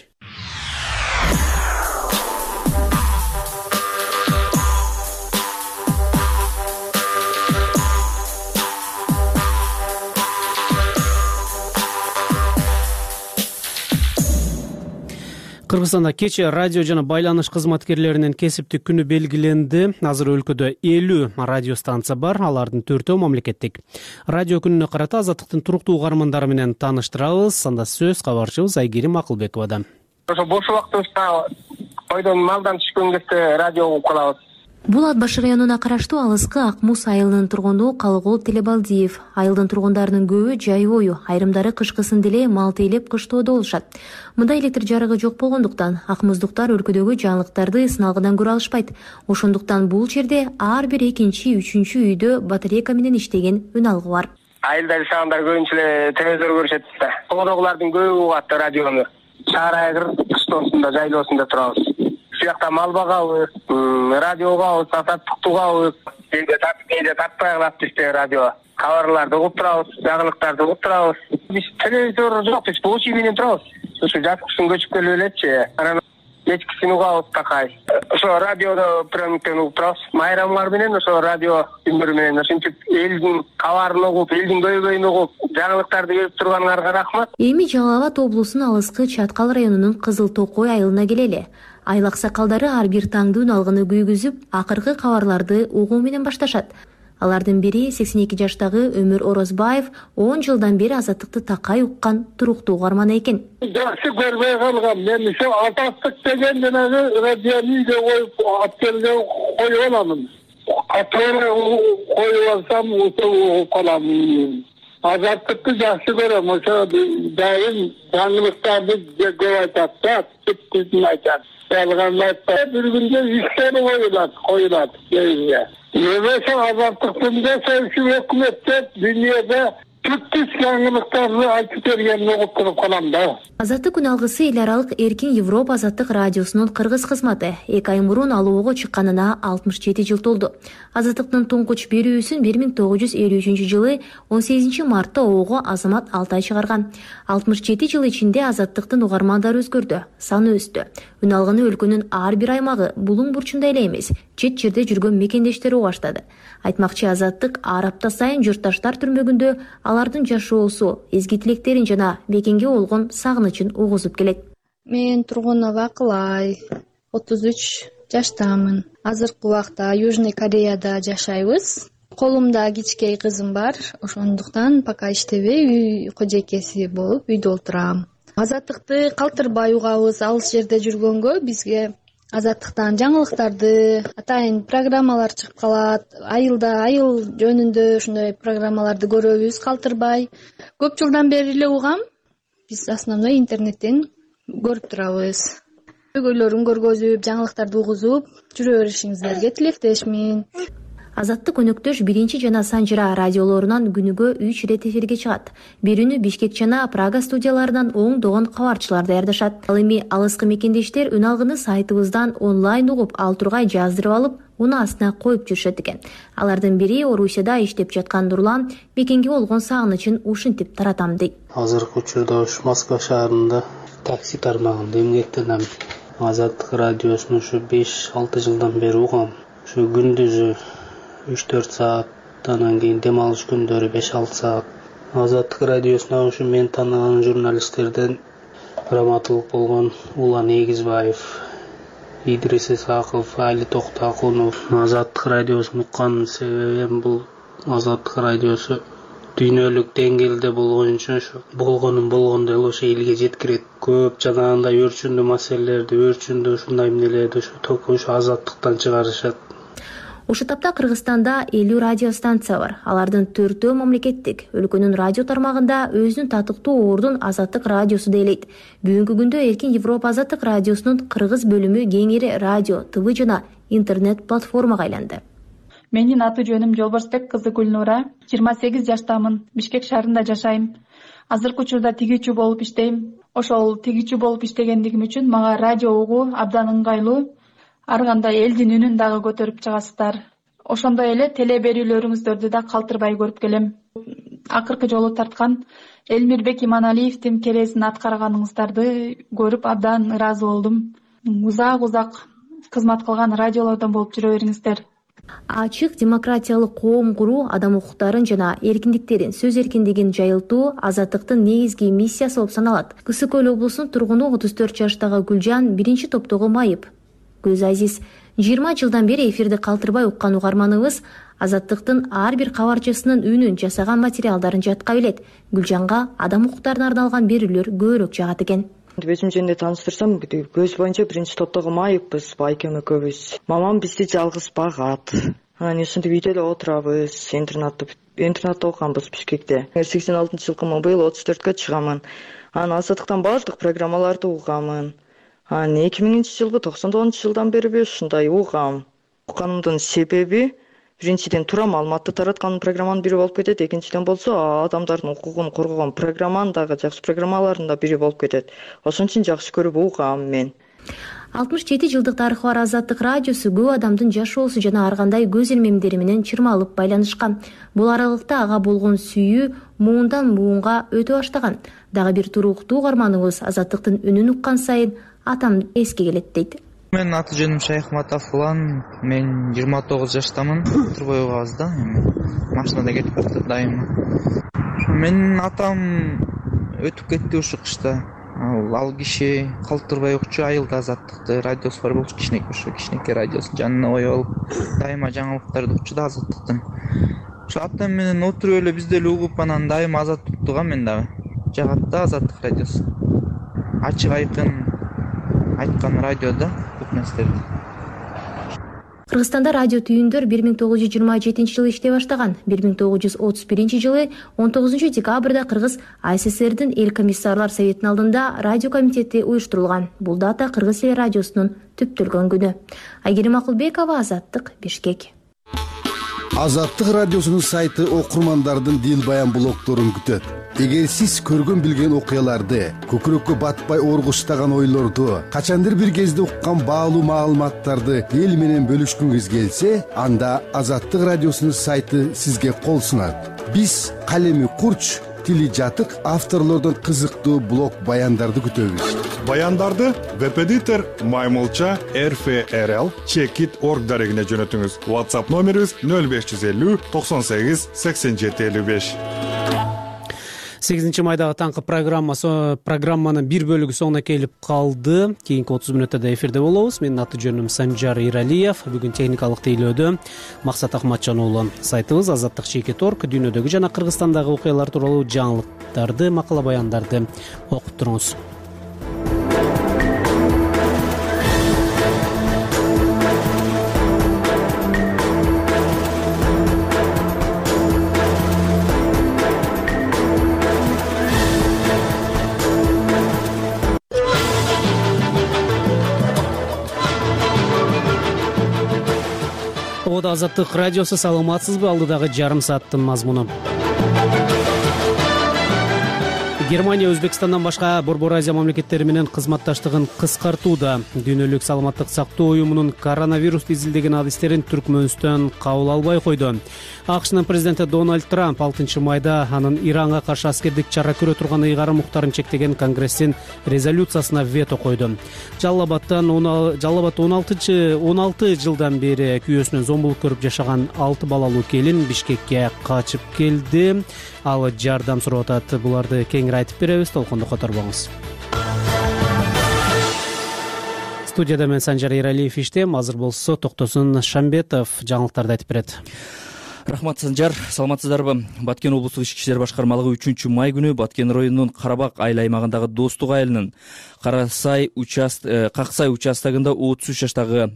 Кыргызстанда кечээ радио жана байланыш кызматкерлеринин кесиптик күнү белгиленди. Азыр өлкөдө элүү радио станция бар, алардын төртөө мамлекеттик. Радио күнүнө карата Азаттыктын туруктуу угармандары менен тааныштырабыз. Анда сөз кабарчыбыз Айгерим Акылбековада. Ошо бош убактыбызда койдон малдан түшкөн кезде радио угуп калабыз. Бул Ат баш районуна караштуу алыскы Ак Муз айылынын тургуну Калыгул Телебалдиев. Айылдын тургундарынын көбү жай бою, айрымдары кышкысын деле мал тейлеп кыштоодо болушат. Мында электр жарыгы жок болгондуктан Ак Муздуктар өлкөдөгү жаңылыктарды сыналгыдан көрө алышпайт. Ошондуктан бул жерде ар бир экинчи, үчүнчү үйдө батарейка менен иштеген үн алгы бар. Айылда жашагандар көбүнчө эле телевизор көрүшөт да. Тогодогулардын көбү угат радиону. Шаар айгыр кыштоосунда, жайлоосунда турабыз. Сыякта мал багабыз, радиого азаттыктуугабыз, кээде тартып, кээде тартпай калат бизде радио. Кабарларды угуп турабыз, жаңылыктарды угуп турабыз. Биз телевизор жок, биз получи менен турабыз. Ушу жаксын көчүп келип элечи. Анан кечкисин угабыз такай. Ошо радиодо приемниктен угуп турабыз. Майрамдар менен ошо радио күндөрү менен ошентип элдин кабарын угуп, элдин көйгөйүн угуп, жаңылыктарды берип турганыңарга рахмат. Эми Жалал Абад облусунун алыскы Чаткал районунун Кызыл Токой айылына келели. Айыл аксакалдары ар бир таңдуу үн алгыны күйгүзүп, акыркы кабарларды угуу менен башташат. Алардын бири сексен эки жаштагы Өмүр Орозбаев он жылдан бери Азаттыкты такай уккан туруктуу угарман экен. Жакшы көрбөй калгам. Мен ошо Азаттык деген жанагы радиону үйгө коюп, апкелге коюп аламын. Катары коюп алсам, угуп калам. Азаттыкты жакшы көрөм. Ошо дайым жаңылыктарды көп айтат да, түптүн айтат. Bir günde işleri koyulat, koyulat. Yemese azaltıktığında sevki hükümette dünyada Türk жаңылыктарды айтып бергенин угуп туруп калам да. Азаттык күн алгысы эл аралык Эркин Европа Азаттык радиосунун кыргыз кызматы эки ай мурун алоого чыкканына алтымыш жети жыл толду. Азаттыктын туңкуч берүүсүн бир миң тогуз жүз элүү үчүнчү жылы он сегизинчи мартта оого Азамат Алтай чыгарган. алтымыш жети жыл ичинде Азаттыктын угармандары өзгөрдү, саны өстү. Үн алгыны өлкөнүн ар бир аймагы булуң бурчунда эле эмес, чет жерде жүргөн мекендештери баштады. Айтмакчы, Азаттык ар апта сайын журтташтар түрмөгүндө алардын жашоосу, эзги тилектерин жана мекенге болгон сагынычын угузуп келет. Мен Тургунова Акылай, отуз үч жаштамын. Азыркы убакта Южный Кореяда жашайбыз. Колумда кичкей кызым бар, ошондуктан пока иштебей үй кожойкеси болуп үйдө отурам. Азаттыкты калтырбай угабыз. Алыс жерде жүргөнгө бизге Азаттыктан жаңылыктарды, атайын программалар чыгып калат. Айылда айыл жөнүндө ушундай программаларды көрөбүз калтырбай. Көп жылдан бери эле угам. Биз основной интернеттен көрүп турабыз. Көйгөйлөрүн көргөзүп, жаңылыктарды угузуп жүрө беришиңиздерге тилектешмин. Азаттык өнөктөш биринчи жана Санжыра радиолорунан күнүгө үч ирет эфирге чыгат. Бирүүнү Бишкек жана Прага студияларынан оңдогон кабарчылар даярдашат. Ал эми алыскы мекендештер үн алгыны сайтыбыздан онлайн угуп, ал тургай жаздырып алып, унаасына коюп жүрүшөт экен. Алардын бири Орусияда иштеп жаткан Нурлан мекенге болгон сагынычын ушинтип таратам дейт. Азыркы учурда ушу Москва шаарында такси тармагында эмгектенем. Азаттык радиосун ушу беш алты жылдан бери угам. Ушу күндүзү үч төрт саат, анан кийин дем алыш күндөрү беш алты саат. Азаттык радиосуна ушу мен тааныган журналисттерден Раматылык болгон Улан Эгизбаев, Идрис Исаков, Али Токтакунов. Азаттык радиосун уккан себебим бул Азаттык радиосу дүйнөлүк деңгээлде болгон үчүн ушу болгонун болгондой эле ошо элге жеткирет. Көп жанагындай өрчүндүү маселелерди, өрчүндүү ушундай эмнелерди ушу только ушу Азаттыктан чыгарышат. Ушул тапта Кыргызстанда элүү радио станция бар. Алардын төртөө мамлекеттик. Өлкөнүн радио тармагында өзүнүн татыктуу ордун Азаттык радиосу дейлейт. Бүгүнкү күндө Эркин Европа Азаттык радиосунун кыргыз бөлүмү кеңири радио, ТВ жана интернет платформага айланды. Менин аты жөнүм Жолборсбек кызы Гүлнура, жыйырма сегиз жаштамын. Бишкек шаарында жашайм. Азыркы учурда тигүүчү болуп иштейм. Ошол тигүүчү болуп иштегендигим үчүн мага радио угуу абдан ыңгайлуу. Ар кандай элдин үнүн дагы көтөрүп чыгасыздар. Ошондой эле теле берүүлөрүңүздөрдү да калтырбай көрүп келем. Акыркы жолу тарткан Элмирбек Иманалиевдин керезин аткарганыңыздарды көрүп абдан ыраазы болдум. Узак узак кызмат кылган радиолордон болуп жүрө бериңиздер. Ачык демократиялык коом куруу, адам укуктарын жана эркиндиктерин, сөз эркиндигин жайылтуу Азаттыктын негизги миссиясы болуп саналат. Кысык Көл облусунун тургуну отуз төрт жаштагы Гүлжан биринчи топтогу майып. Көз Азиз жыйырма жылдан бери эфирди калтырбай уккан угарманыбыз Азаттыктын ар бир кабарчысынын үнүн, жасаган материалдарын жатка билет. Гүлжанга адам укуктарына арналган берүүлөр көбүрөөк жагат экен. Өзүм жөнүндө тааныштырсам, көз боюнча биринчи топтогу майыппыз, байкем экөөбүз. Мамам бизди жалгыз багат. Анан ушинтип үйдө эле отурабыз, интернатта интернатта окуганбыз Бишкекте. сексен алтынчы жылкымын, быйыл отуз төрткө чыгамын. Анан Азаттыктан баардык программаларды угамын. Анан эки миңинчи жылгы токсон тогузунчу жылдан бери ушундай угам. Укканымдын себеби биринчиден туура маалыматты тараткан программанын бири болуп кетет, экинчиден болсо адамдардын укугун коргогон программанын дагы жакшы программалардын да бири болуп кетет. Ошон үчүн жакшы көрүп угам мен. алтымыш жети жылдык тарыхы бар Азаттык радиосу көп адамдын жашоосу жана ар кандай көз илмемдери менен чырмалып байланышкан. Бул аралыкта ага болгон сүйүү муундан муунга өтө баштаган. Дагы бир туруктуу угарманыбыз Азаттыктын үнүн уккан сайын атам эске келет дейт. Менин аты жөнүм Шайхматов Улан, мен жыйырма тогуз жаштамын. Турбой угабыз да, эми машинада кетип баратат дайыма. Менин атам өтүп кетти ушу кышта. Ал киши калтырбай укчу, айылда Азаттыкты радиосу бар болчу, кичинекей ушу кичинекей радиосун жанына коюп алып, дайыма жаңылыктарды укчу да Азаттыктын. Ушу атам менен отуруп эле биз деле угуп, анан дайыма Азаттыктыга мен дагы жагат да Азаттык радиосу. Ачык айкын айткан радиода көп нерселерди. Кыргызстанда радио түйүндөр бир миң тогуз жүз жыйырма жетинчи жылы иштей баштаган. бир миң тогуз жүз отуз биринчи жылы он тогузунчу декабрда Кыргыз АССРдин эл комиссарлар советинин алдында радио комитети уюштурулган. Бул дата Кыргыз эл радиосунун түптөлгөн күнү. Айгерим Акылбекова, Азаттык, Бишкек. Азаттык радиосунун сайты окурмандардын дил баян блогдорун күтөт. Эгер сиз көргөн билген окуяларды, көкүрөккө батпай оргуштаган ойлорду, качандыр бир кезде уккан баалуу маалыматтарды эл менен бөлүшкүңүз келсе, анда Азаттык радиосунун сайты сизге кол сунат. Биз калеми курч, тили жатык авторлордон кызыктуу блог баяндарды күтөбүз. Баяндарды веб-эдитор маймылча рф рл чекит орг дарегине жөнөтүңүз. WhatsApp номерибиз нөл беш жүз элүү токсон сегиз сексен жети элүү беш. сегизинчи майдагы таңкы программасы программанын бир бөлүгү соңуна келип калды. Кийинки отуз мүнөттө эфирде болобуз. Менин аты жөнүм Санжар Иралиев. Бүгүн техникалык тейлөөдө Максат Акматжан уулу. Сайтыбыз азаттык чекит орг дүйнөдөгү жана Кыргызстандагы окуялар тууралуу жаңылыктарды, макала баяндарды окуп туруңуз. Азаттык радиосу, саламатсызбы? Алдыдагы жарым сааттын мазмуну. Германия Өзбекстандан башка Борбор Азия мамлекеттери менен кызматташтыгын кыскартууда. Дүйнөлүк саламаттык сактоо уюмунун коронавирусту изилдеген адистерин Түркмөнстөн кабыл албай койду. АКШнын президенти Дональд Трамп алтынчы майда анын Иранга каршы аскердик чара көрө турган ыйгарым укуктарын чектеген Конгресстин резолюциясына вето койду. Жалал-Абадтан Жалал-Абадта он алты жылдан бери күйөөсүнөн зомбулук көрүп жашаган алты балалуу келин Бишкекке качып келди. Ал жардам сурап атат. Буларды кеңири айтып беребиз. Толкондо которбоңуз. Студияда мен Санжар Иралиев иштейм. Азыр болсо Токтосун Шамбетов жаңылыктарды айтып берет. Рахмат, Санжар. Саламатсыздарбы? Баткен облустук ички иштер башкармалыгы үчүнчү май күнү Баткен районунун Карабак айыл аймагындагы Достук айылынын Карасай участ Каксай участогунда отуз үч жаштагы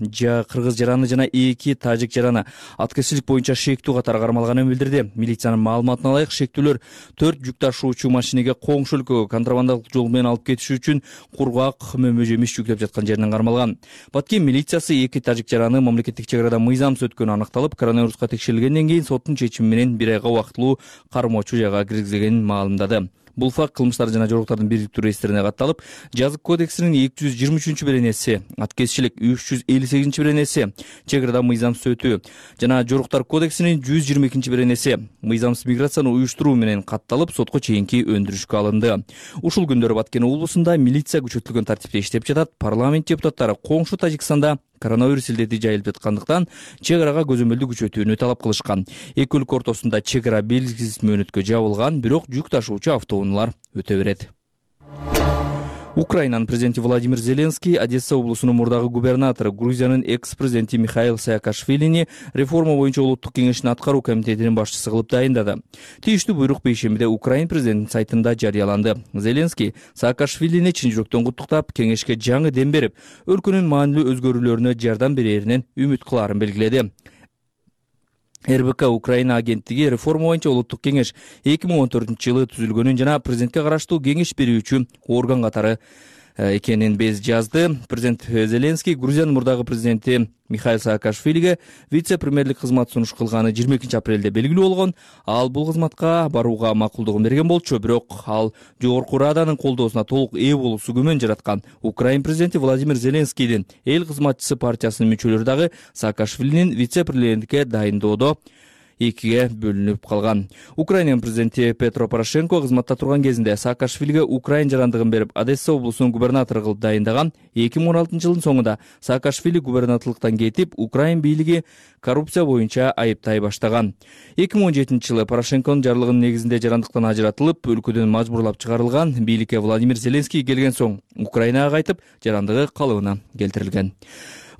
кыргыз жараны жана эки тажик жараны аткезчилик боюнча шектүү катары кармалганын билдирди. Милициянын маалыматына ылайык, шектүүлөр төрт жүк ташуучу машинеге коңшу өлкөгө контрабандалык жол менен алып кетиш үчүн кургак, мөмө жемиш жүктөп жаткан жеринен кармалган. Баткен милициясы эки тажик жараны мамлекеттик чек арада мыйзамсыз өткөнү аныкталып, коронавируска текшерилгенден кийин соттун чечими менен бир айга убактылуу кармоочу жайга киргизилгенин маалымдады. Бул факт кылмыштар жана жоруктардын бириктүү реестрине катталып, Жазык кодексинин эки жүз жыйырма үчүнчү беренеси, аткезчилик үч жүз элүү сегизинчи беренеси, чек арада мыйзамсыз өтүү жана жоруктар кодексинин жүз жыйырма экинчи беренеси, мыйзамсыз миграцияны уюштуруу менен катталып, сотко чейинки өндүрүшкө алынды. Ушул күндөрү Баткен облусунда милиция күчөтүлгөн тартипте иштеп жатат. Парламент депутаттары коңшу Тажикстанда коронавирус илдети жайылып жаткандыктан чек арага көзөмөлдү күчөтүүнү талап кылышкан. Эки өлкө ортосунда чек ара белгисиз мөөнөткө жабылган, бирок жүк ташуучу автоунаалар өтө берет. Украинанын президенти Владимир Зеленский Одесса облусунун мурдагы губернатору, Грузиянын экс-президенти Михаил Саакашвилини реформа боюнча улуттук кеңештин аткаруу комитетинин башчысы кылып дайындады. Тийиштүү буйрук бейшембиде Украин президентинин сайтында жарыяланды. Зеленский Саакашвилини чын жүрөктөн куттуктап, кеңешке жаңы дем берип, өлкөнүн маанилүү өзгөрүүлөрүнө жардам береринен үмүт кылаарын белгиледи. эр бэ ка Украина агенттиги реформа боюнча улуттук кеңеш эки миң он төртүнчү жылы түзүлгөнүн жана президентке караштуу кеңеш берүүчү орган катары экенин без жазды. Президент Зеленский Грузиянын мурдагы президенти Михаил Саакашвилиге вице-премьерлик кызмат сунуш кылганы жыйырма экинчи апрелде белгилүү болгон. Ал бул кызматка барууга макулдугун берген болчу, бирок ал жогорку раданын колдоосуна толук ээ болуусу күмөн жараткан. Украин президенти Владимир Зеленскийдин эл кызматчысы партиясынын мүчөлөрү дагы Саакашвилинин вице-премьерликке дайындоодо экиге бөлүнүп калган. Украинанын президенти Петро Порошенко кызматта турган кезинде Саакашвилиге Украин жарандыгын берип, Одесса облусунун губернатору кылып дайындаган. эки миң он алтынчы жылдын соңунда Саакашвили губернаторлуктан кетип, Украин бийлиги коррупция боюнча айыптай баштаган. эки миң он жетинчи жылы Порошенконун жарлыгынын негизинде жарандыктан ажыратылып, өлкөдөн мажбурлап чыгарылган. Бийликке Владимир Зеленский келген соң Украинага кайтып, жарандыгы калыбына келтирилген.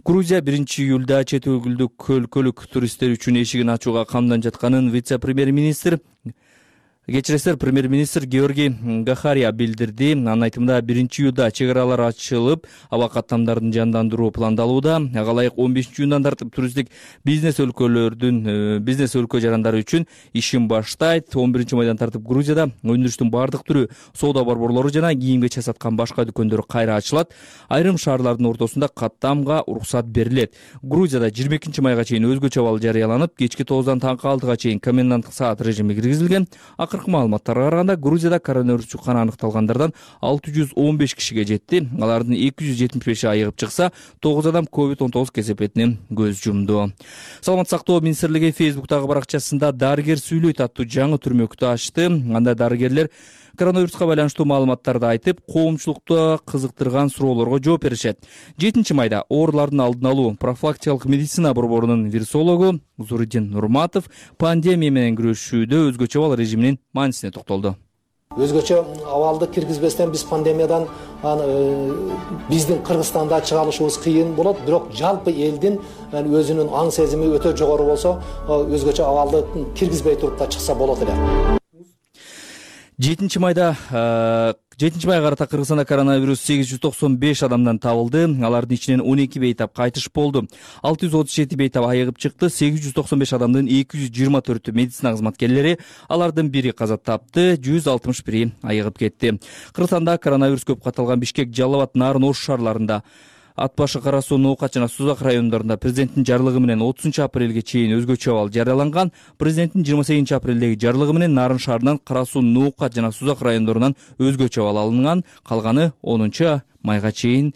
Грузия биринчи июлда чет өлкөлүк өлкөлүк туристтер үчүн эшигин ачууга камданып жатканын вице-премьер-министр Кечиресиздер, премьер-министр Георгий Гахария билдирди. Анын айтымында биринчи июлда чек аралар ачылып, аба каттамдарын жандандыруу пландалууда. Ага ылайык он бешинчи июндан тартып туристтик бизнес өлкөлөрдүн бизнес өлкө жарандары үчүн ишин баштайт. он биринчи майдан тартып Грузияда өндүрүштүн бардык түрү, соода борборлору жана кийимге саткан башка дүкөндөр кайра ачылат. Айрым шаарлардын ортосунда каттамга уруксат берилет. Грузияда жыйырма экинчи майга чейин өзгөчө абал жарыяланып, кечки тогуздан таңкы алтыга чейин коменданттык саат режими киргизилген. акыркы маалыматтарга караганда Грузияда коронавирус жукканы аныкталгандардан алты жүз он беш кишиге жетти. Алардын эки жүз жетимиш беши айыгып чыкса, тогуз адам ковид он тогуз кесепетинен көз жумду. Саламаттык сактоо министрлиги Фейсбуктагы баракчасында дарыгер сүйлөйт аттуу жаңы түрмөктү ачты. Анда дарыгерлер коронавируска байланыштуу маалыматтарды айтып, коомчулукта кызыктырган суроолорго жооп беришет. жетинчи майда оорулардын алдын алуу профилактикалык медицина борборунун вирусологу Зуриддин Нурматов пандемия менен күрөшүүдө өзгөчө абал режиминин маанисине токтолду. Өзгөчө абалды киргизбестен биз пандемиядан биздин Кыргызстанда чыга алышыбыз кыйын болот, бирок жалпы элдин өзүнүн аң сезими өтө жогору болсо, өзгөчө абалды киргизбей туруп да чыкса болот эле. жетинчи майда жетинчи майга карата Кыргызстанда коронавирус сегиз жүз токсон беш адамдан табылды. Алардын ичинен он эки бейтап кайтыш болду. алты жүз отуз жети бейтап айыгып чыкты. сегиз жүз токсон беш адамдын эки жүз жыйырма төртү медицина кызматкерлери, алардын бири каза тапты, жүз алтымыш бири айыгып кетти. Кыргызстанда коронавирус көп катталган Бишкек, Жалал Абад, Нарын, Ош шаарларында, Ат башы, Кара Суу, Ноокат жана Сузак райондорунда президенттин жарлыгы менен отузунчу апрелге чейин өзгөчө абал жарыяланган. Президенттин жыйырма сегизинчи апрелдеги жарлыгы менен Нарын шаарынан, Кара Суу, Ноокат жана Сузак райондорунан өзгөчө абал алынган. Калганы онунчу майга чейин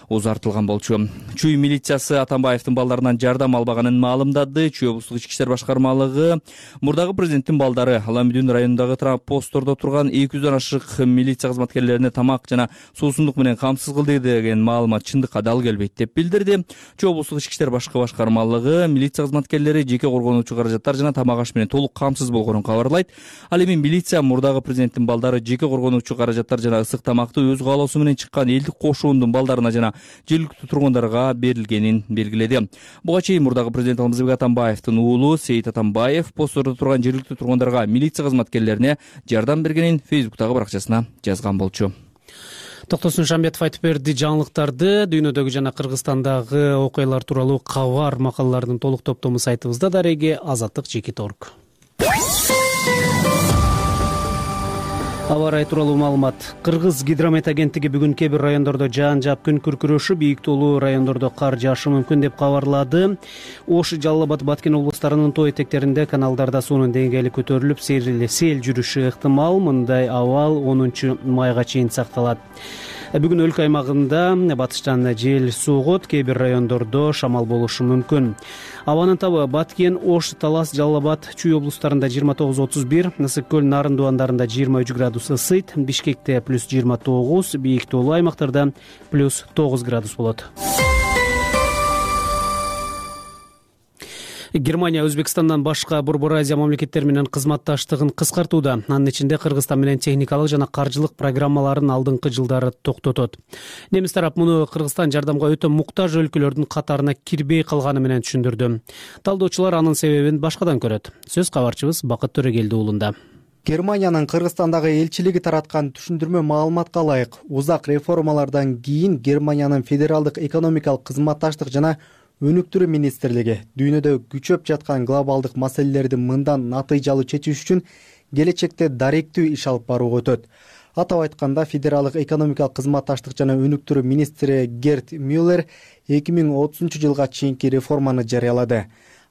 узартылган болчу. Чүй милициясы Атамбаевдин балдарынан жардам албаганын маалымдады. Чүй облустук ички иштер башкармалыгы мурдагы президенттин балдары Аламүдүн районундагы посттордо турган эки жүздөн ашык милиция кызматкерлерине тамак жана суусундук менен камсыз кылды деген маалымат чындыкка дал келбейт деп билдирди. Чүй облустук ички иштер башкармалыгы милиция кызматкерлери жеке коргонуучу каражаттар жана тамак аш менен толук камсыз болгонун кабарлайт. Ал эми милиция мурдагы президенттин балдары жеке коргонуучу каражаттар жана ысык тамакты өз каалоосу менен чыккан элдик кошуундун балдарына жана жергиликтүү тургундарга берилгенин белгиледи. Буга чейин мурдагы президент Алмазбек Атамбаевдин уулу Сейит Атамбаев посттордо турган жергиликтүү тургундарга милиция кызматкерлерине жардам бергенин Фейсбуктагы баракчасына жазган болчу. Токтосун Шамбетов айтып берди жаңылыктарды. Дүйнөдөгү жана Кыргызстандагы окуялар тууралуу кабар макалалардын толук топтому сайтыбызда дареги азаттык чекит орг. Аба ырайы тууралуу маалымат. Кыргыз гидромет агенттиги бүгүн кээ бир райондордо жаан жаап күн күркүрөшүп, бийик тоолуу райондордо кар жаашы мүмкүн деп кабарлады. Ош, Жалал Абад, Баткен облустарынын тоо этектеринде каналдарда суунун деңгээли көтөрүлүп, сел жүрүшү ыктымал. Мындай абал онунчу майга чейин сакталат. Бүгүн өлкө аймагында батыштан жел согот, кээ бир райондордо шамал болушу мүмкүн. Абанын табы Баткен, Ош, Талас, Жалал Абад, Чүй облустарында жыйырма тогуз отуз бир, Ысык көл, Нарын дубандарында жыйырма үч градус ысыйт, Бишкекте плюс жыйырма тогуз, бийик тоолуу аймактарда плюс тогуз градус болот. Германия Өзбекстандан башка Борбор Азия мамлекеттери менен кызматташтыгын кыскартууда. Анын ичинде Кыргызстан менен техникалык жана каржылык программаларын алдыңкы жылдары токтотот. Немис тарап муну Кыргызстан жардамга өтө муктаж өлкөлөрдүн катарына кирбей калганы менен түшүндүрдү. Талдоочулар анын себебин башкадан көрөт. Сөз кабарчыбыз Бакыт Төрөгелди уулунда. Германиянын Кыргызстандагы элчилиги тараткан түшүндүрмө маалыматка ылайык, узак реформалардан кийин Германиянын федералдык экономикалык кызматташтык жана өнүктүрүү министрлиги дүйнөдө күчөп жаткан глобалдык маселелерди мындан натыйжалуу чечиш үчүн келечекте даректүү иш алып барууга өтөт. Атап айтканда, федералдык экономикалык кызматташтык жана өнүктүрүү министри Герт Мюллер эки миң отузунчу жылга чейинки реформаны жарыялады.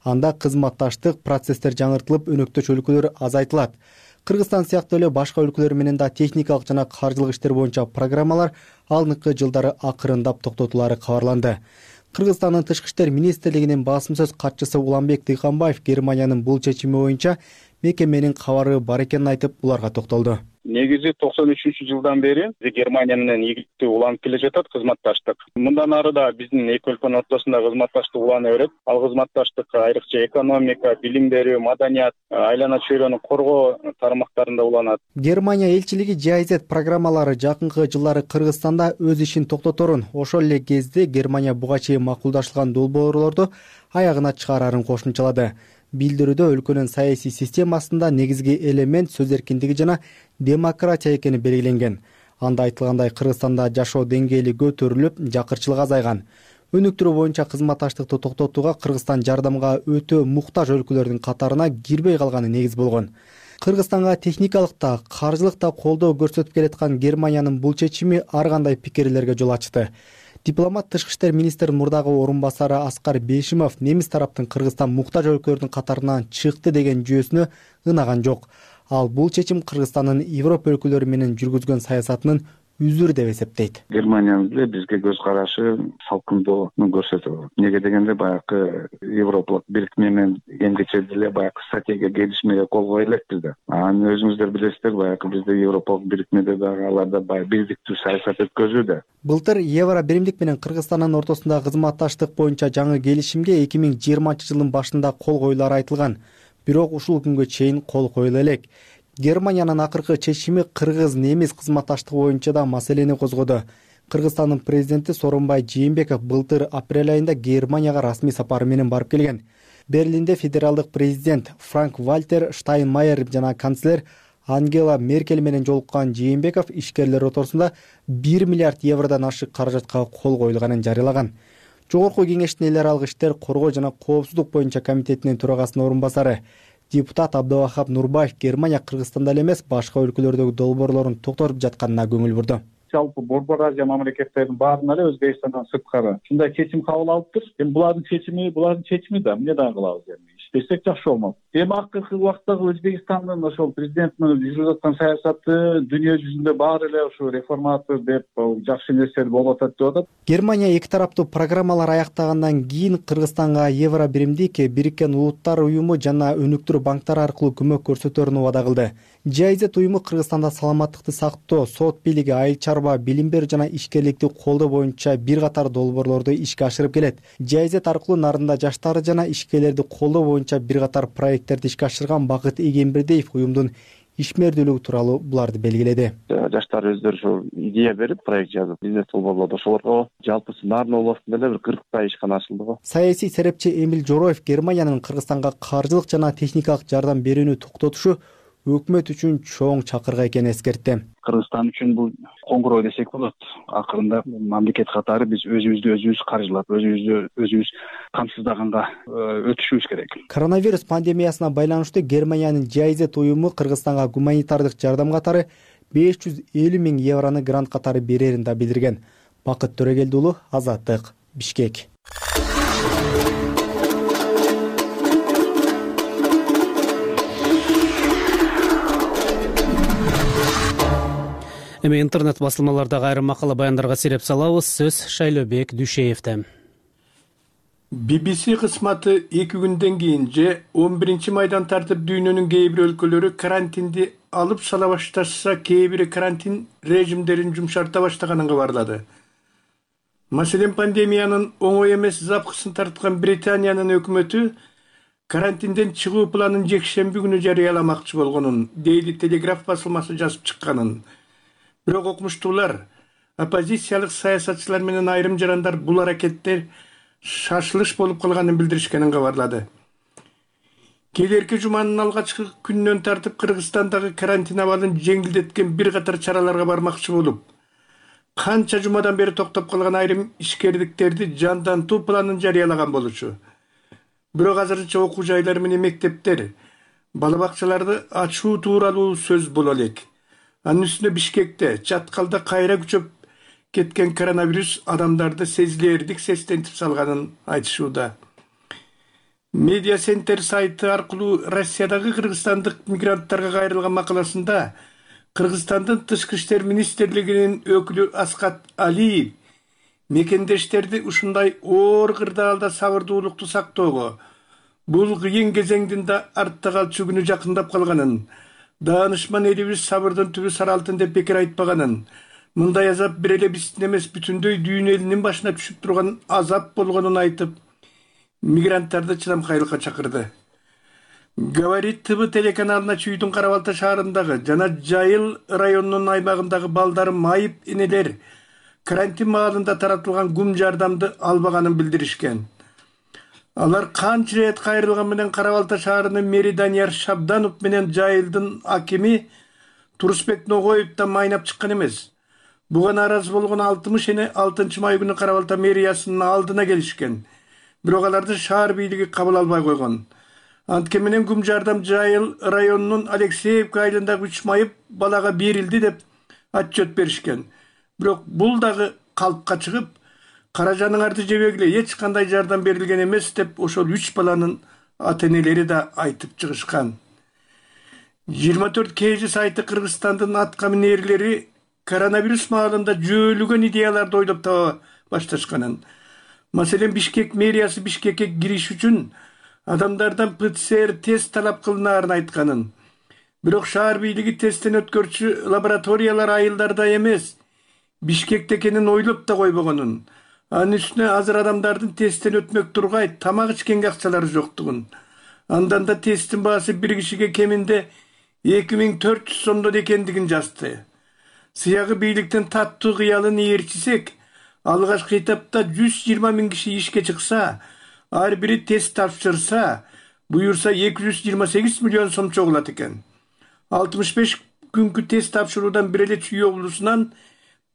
Анда кызматташтык процесстер жаңыртылып, өнөктөш өлкөлөр азайтылат. Кыргызстан сыяктуу эле башка өлкөлөр менен да техникалык жана каржылык иштер боюнча программалар алдыңкы жылдары акырындап токтотулары кабарланды. Кыргызстандын тышкы иштер министрлигинин басым сөз катчысы Уланбек Дыйканбаев Германиянын бул чечими боюнча мекеменин кабары бар экенин айтып, буларга токтолду. Негизи токсон үчүнчү жылдан бери Германия менен ийгиликтүү уланып келе жатат кызматташтык. Мындан ары да биздин эки өлкөнүн ортосунда кызматташтык улана берет. Ал кызматташтык айрыкча экономика, билим берүү, маданият, айлана чөйрөнү коргоо тармактарында уланат. Германия элчилиги Джи Ай Зет программалары жакынкы жылдары Кыргызстанда өз ишин токтоторун, ошол эле кезде Германия буга чейин макулдашылган долбоорлорду аягына чыгарарын кошумчалады. Билдирүүдө өлкөнүн саясий системасында негизги элемент сөз эркиндиги жана демократия экени белгиленген. Анда айтылгандай, Кыргызстанда жашоо деңгээли көтөрүлүп, жакырчылык азайган. Өнүктүрүү боюнча кызматташтыкты токтотууга Кыргызстан жардамга өтө муктаж өлкөлөрдүн катарына кирбей калганы негиз болгон. Кыргызстанга техникалыкта, каржылыкта колдоо көрсөтүп келаткан Германиянын бул чечими ар кандай пикирлерге жол ачты. Дипломат тышкы иштер министринин мурдагы орун басары Аскар Бейшимов немис тараптын Кыргызстан муктаж өлкөлөрдүн катарынан чыкты деген жүйөсүнө ынаган жок. Ал бул чечим Кыргызстандын Европа өлкөлөрү менен жүргүзгөн саясатынын үзүрү деп эсептейт. Германиянын деле бизге көз карашы салкындоону көрсөтөт. Неге дегенде баягы Европалык бирикме менен эмгиче деле баягы стратегия келишимге кол кое элекпиз да. Аны өзүңүздөр билесиздер, баягы бизде Европалык бирикмеде дагы аларда баягы бирдиктүү саясат өткөзүүдө. Былтыр Евро биримдик менен Кыргызстандын ортосундагы кызматташтык боюнча жаңы келишимге эки миң жыйырманчы жылдын башында кол коюлары айтылган. Бирок ушул күнгө чейин кол коюла элек. Германиянын акыркы чечими кыргыз-немис кызматташтыгы боюнча да маселени козгоду. Кыргызстандын президенти Сооронбай Жээнбеков былтыр апрель айында Германияга расмий сапары менен барып келген. Берлинде федералдык президент Франк-Вальтер Штайнмайер жана канцлер Ангела Меркель менен жолуккан Жээнбеков ишкерлер ротосунда бир миллиард евродон ашык каражатка кол коюлганын жарыялаган. Жогорку кеңештин эл аралык иштер коргоо жана коопсуздук боюнча комитетинин төрагасынын орун басары депутат Абдывахап Нурбаев Германия Кыргызстанда эле эмес, башка өлкөлөрдөгү долбоорлорун токтотуп жатканына көңүл бурду. Жалпы Борбор Азия мамлекеттеринин баарына эле Өзбекстандан сырткары ушундай чечим кабыл алыптыр. Эми булардын чечими, булардын чечими да эмне дагы кылабыз эми? Иштесек жакшы болмок. Эми акыркы убактагы Өзбекстандын ошол президентинин жүргүзүп аткан саясаты дүйнө жүзүндө баары эле ушу реформатор деп жакшы нерселер болуп атат деп атат. Германия эки тараптуу программалар аяктагандан кийин Кыргызстанга Евро биримдик, Бириккен Улуттар уюму жана өнүктүрүү банктары аркылуу көмөк көрсөтөрүн убада кылды. Жайзет уюму Кыргызстанда саламаттыкты сактоо, сот бийлиги, айыл чарба, билим берүү жана ишкерликти колдоо боюнча бир катар долбоорлорду ишке ашырып келет. Жайзет аркылуу нарында жаштары жана ишкерлерди колдоо боюнча бир катар проекттерди ишке ашырган Бакыт Эгембердиев уюмдун ишмердүүлүгү тууралуу буларды белгиледи. Жаштар өздөрү ошо идея берип, проект жазып, бизнес долбоорлоду. Ошолорго жалпысы Нарын областында эле бир кырктай ишкана ачылды го. Саясий серепчи Эмил Жороев Германиянын Кыргызстанга каржылык жана техникалык жардам берүүнү токтотушу өкмөт үчүн чоң чакырга экенин эскертти. Кыргызстан үчүн бул коңгуроо десек болот. Акырында мамлекет катары биз өзүбүздү өзүбүз каржылап, өзүбүздү өзүбүз камсыздаганга өтүшүбүз керек. Коронавирус пандемиясына байланыштуу Германиянын Жайзет уюму Кыргызстанга гуманитардык жардам катары беш жүз элүү миң евроны грант катары берерин да билдирген. Бакыт Төрөгелди уулу, Азаттык, Бишкек. Эми интернет басылмалардагы айрым макала баяндарга сереп салабыз. Сөз Шайлообек Дүйшеевде. би би си кызматы эки күндөн кийин же он биринчи майдан тартып дүйнөнүн кээ бир өлкөлөрү карантинди алып сала башташса, кээ бири карантин режимдерин жумшарта баштаганын кабарлады. Маселен, пандемиянын оңой эмес запкысын тарткан Британиянын өкмөтү карантинден чыгуу планын жекшемби күнү жарыяламакчы болгонун Daily Telegraph басылмасы жазып чыкканын. Бирок окумуштуулар, оппозициялык саясатчылар менен айрым жарандар бул аракеттер шашылыш болуп калганын билдиришкенин кабарлады. Келерки жуманын алгачкы күнүнөн тартып Кыргызстандагы карантин абалын жеңилдеткен бир катар чараларга бармакчы болуп, канча жумадан бери токтоп калган айрым ишкерликтерди жандантуу планын жарыялаган болчу. Бирок азырынча окуу жайлары менен мектептер, бала бакчаларды ачуу тууралуу сөз боло элек. Анын үстүнө Бишкекте, Чаткалда кайра күчөп кеткен коронавирус адамдарды сезилерлик сестентип салганын айтышууда. Медиа Центр сайты аркылуу Россиядагы кыргызстандык мигранттарга кайрылган макаласында Кыргызстандын тышкы иштер министрлигинин өкүлү Аскат Алиев мекендештерди ушундай оор кырдаалда сабырдуулукту сактоого, бул кыйын кезеңдин да артта калчу күнү жакындап калганын, даанышман элибиз сабырдын түбү саралтын деп бекер айтпаганын, мындай азап бир эле биздин эмес бүтүндөй дүйнө элинин башына түшүп турган азап болгонун айтып, мигранттарды чыдамкайлыкка чакырды. Говорит ТВ телеканалына Чүйдүн Кара Балта шаарындагы жана Жайыл районунун аймагындагы балдары майып энелер карантин маалында таратылган гум жардамды албаганын билдиришкен. Алар канча рет кайрылган менен Кара Балта шаарынын мэри Данияр Шабданов менен Жайылдын акими Турусбек Ногоев да майнап чыккан эмес. Буга нааразы болгон алтымыш эне алтынчы май күнү Кара Балта мэриясынын алдына келишкен. Бирок аларды шаар бийлиги кабыл албай койгон. Антке менен гум жардам Жайыл районунун Алексеевка айылындагы үч майып балага берилди деп отчет беришкен. Бирок бул дагы калпка чыгып, каражаныңарды жебегиле, эч кандай жардам берилген эмес деп ошол үч баланын ата-энелери да айтып чыгышкан. жыйырма төрт kg сайты Кыргызстандын аткаминерлери коронавирус маалында жөөлөгөн идеяларды ойлоп таба башташканын, маселен Бишкек мэриясы Бишкекке кириш үчүн адамдардан ПЦР тест талап кылынаарын айтканын, бирок шаар бийлиги тесттен өткөрчү лабораториялар айылдарда эмес, Бишкекте экенин ойлоп да койбогонун, анын үстүнө азыр адамдардын тесттен өтмөк тургай тамак ичкенге акчалары жоктугун, андан да тесттин баасы бир кишиге кеминде эки миң төрт жүз сомдон экендигин жазды. Сыягы бийликтин таттуу кыялын ээрчисек, алгачкы этапта жүз жыйырма миң киши ишке чыкса, ар бири тест тапшырса, буюрса эки жүз жыйырма сегиз миллион сом чогулат экен. алтымыш беш күнкү тест тапшыруудан бир эле Чүй облусунан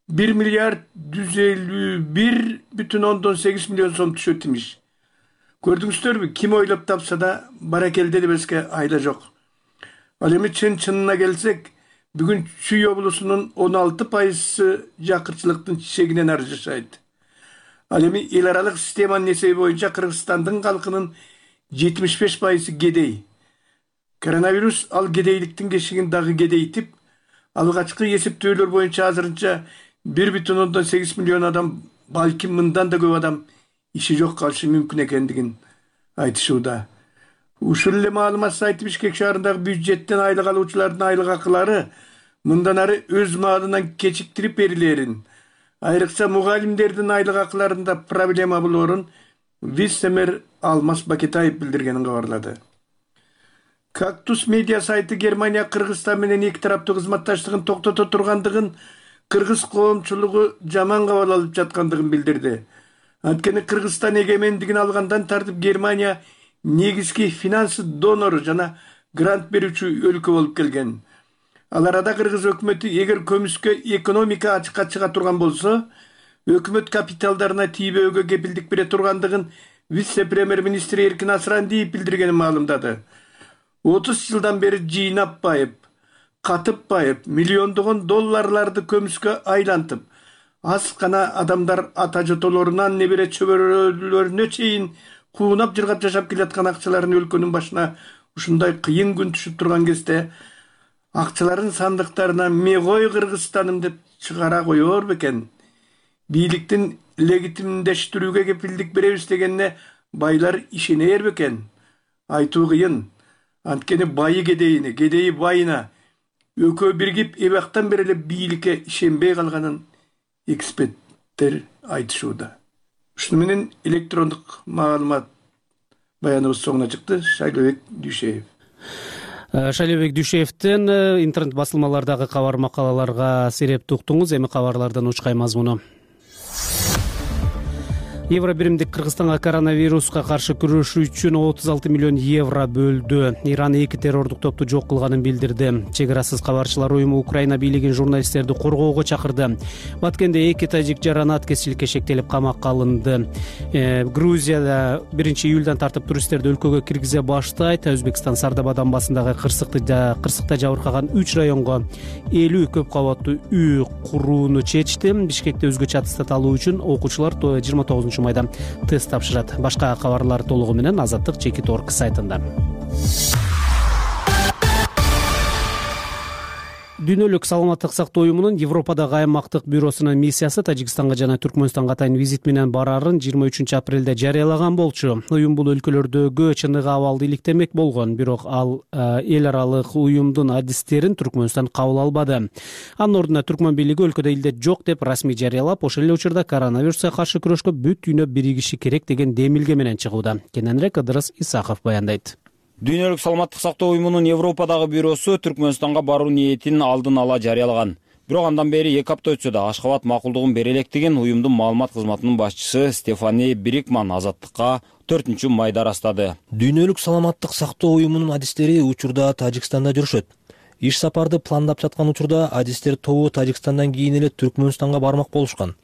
бир миллиард жүз элүү бир бүтүн ондон сегиз миллион сом түшөт имиш. Көрдүңүздөрбү, ким ойлоп тапса да баракелде дебеске айла жок. Ал эми чын-чынына келсек, бүгүн Чүй облусунун он алты пайызы жакырчылыктын чегинен ары жашайт. Ал эми эл аралык системанын эсеби боюнча Кыргызстандын калкынын жетимиш беш пайызы кедей. Коронавирус ал кедейликтин кешигин дагы кедейтип, алгачкы эсептөөлөр боюнча азырынча бир бүтүн ондон сегиз миллион адам, балким мындан да көп адам иши жок калышы мүмкүн экендигин айтышууда. Ушул эле маалымат сайты Бишкек шаарындагы бюджеттен айлык алуучулардын айлык акылары мындан ары өз маалынан кечиктирип берилерин, айрыкча мугалимдердин айлык акыларында проблема болоорун вице-мэр Алмаз Бакетаев билдиргенин кабарлады. Кактус медиа сайты Германия Кыргызстан менен эки тараптуу кызматташтыгын токтото тургандыгын, кыргыз коомчулугу жаман кабыл алып жаткандыгын билдирди. Анткени Кыргызстан эгемендигин алгандан тартып Германия негизги финансы донору жана грант берүүчү өлкө болуп келген. Ал арада кыргыз өкмөтү эгер көмүскө экономика ачыкка чыга турган болсо, өкмөт капиталдарына тийбөөгө кепилдик бере тургандыгын вице-премьер-министри Эркин Асрандиев билдиргенин маалымдады. отуз жылдан бери жыйнап байып, катып байып, миллиондогон долларларды көмүскө айлантып, аз гана адамдар ата жотолорунан небере чөбөрөлөрүнө чейин куунап жыргап жашап келаткан акчаларын өлкөнүн башына ушундай кыйын күн түшүп турган кезде акчаларын сандыктарына мегой Кыргызстаным деп чыгара коёр бекен. Бийликтин легитимдештирүүгө кепилдик беребиз дегенине байлар ишенер бекен. Айтуу кыйын. Анткени байы кедейине, кедейи байына экөө биригип эбактан бери эле бийликке ишенбей калганын эксперттер айтышууда. Ушуну менен электрондук маалымат баяныбыз соңуна чыкты. Шайлообек Дүйшеев. Шайлообек Дүйшеевден интернет басылмалардагы кабар макалаларга серепти уктуңуз. Эми кабарлардан учкай мазмуну. Евро биримдик Кыргызстанга коронавируска каршы күрөшүү үчүн отуз алты миллион евро бөлдү. Иран эки террордук топту жок кылганын билдирди. Чек арасыз кабарчылар уюму Украина бийлигин журналисттерди коргоого чакырды. Баткенде эки тажик жаран аткезчиликке шектелип камакка алынды. Э, Грузияда биринчи июлдан тартып туристтерди өлкөгө киргизе баштайт. Өзбекстан Сардаба басындагы кырсыкты кырсыкта жабыркаган үч районго элүү көп кабаттуу үй курууну чечти. Бишкекте өзгөчө аттестат алуу үчүн окуучулар жыйырма тогузунчу майда тест тапшырат. Башка кабарлар толугу менен Азаттык чекит орг сайтында. Дүйнөлүк саламаттык сактоо уюмунун Европадагы аймактык бюросунун миссиясы Тажикстанга жана Түркмөнстанга атайын визит менен барарын жыйырма үчүнчү апрелде жарыялаган болчу. Уюм бул өлкөлөрдөгү чыныгы абалды иликтемек болгон, бирок ал эл аралык уюмдун адистерин Түркмөнстан кабыл албады. Анын ордуна Түркмөн бийлиги өлкөдө илдет жок деп расмий жарыялап, ошол эле учурда коронавируска каршы күрөшкө бүт дүйнө биригиши керек деген демилге менен чыгууда. Кененирээк Ыдырыс Исаков баяндайт. Дүйнөлүк саламаттык сактоо уюмунун Европадагы бюросу Түркмөнстанга баруу ниетин алдын ала жарыялаган. Бирок андан бери эки апта өтсө да Ашкабад макулдугун бере электигин уюмдун маалымат кызматынын башчысы Стефани Брикман Азаттыкка төртүнчү майда ырастады. Дүйнөлүк саламаттык сактоо уюмунун адистери учурда Тажикстанда жүрүшөт. Иш сапарды пландап жаткан учурда адистер тобу Тажикстандан кийин эле Түркмөнстанга бармак болушкан.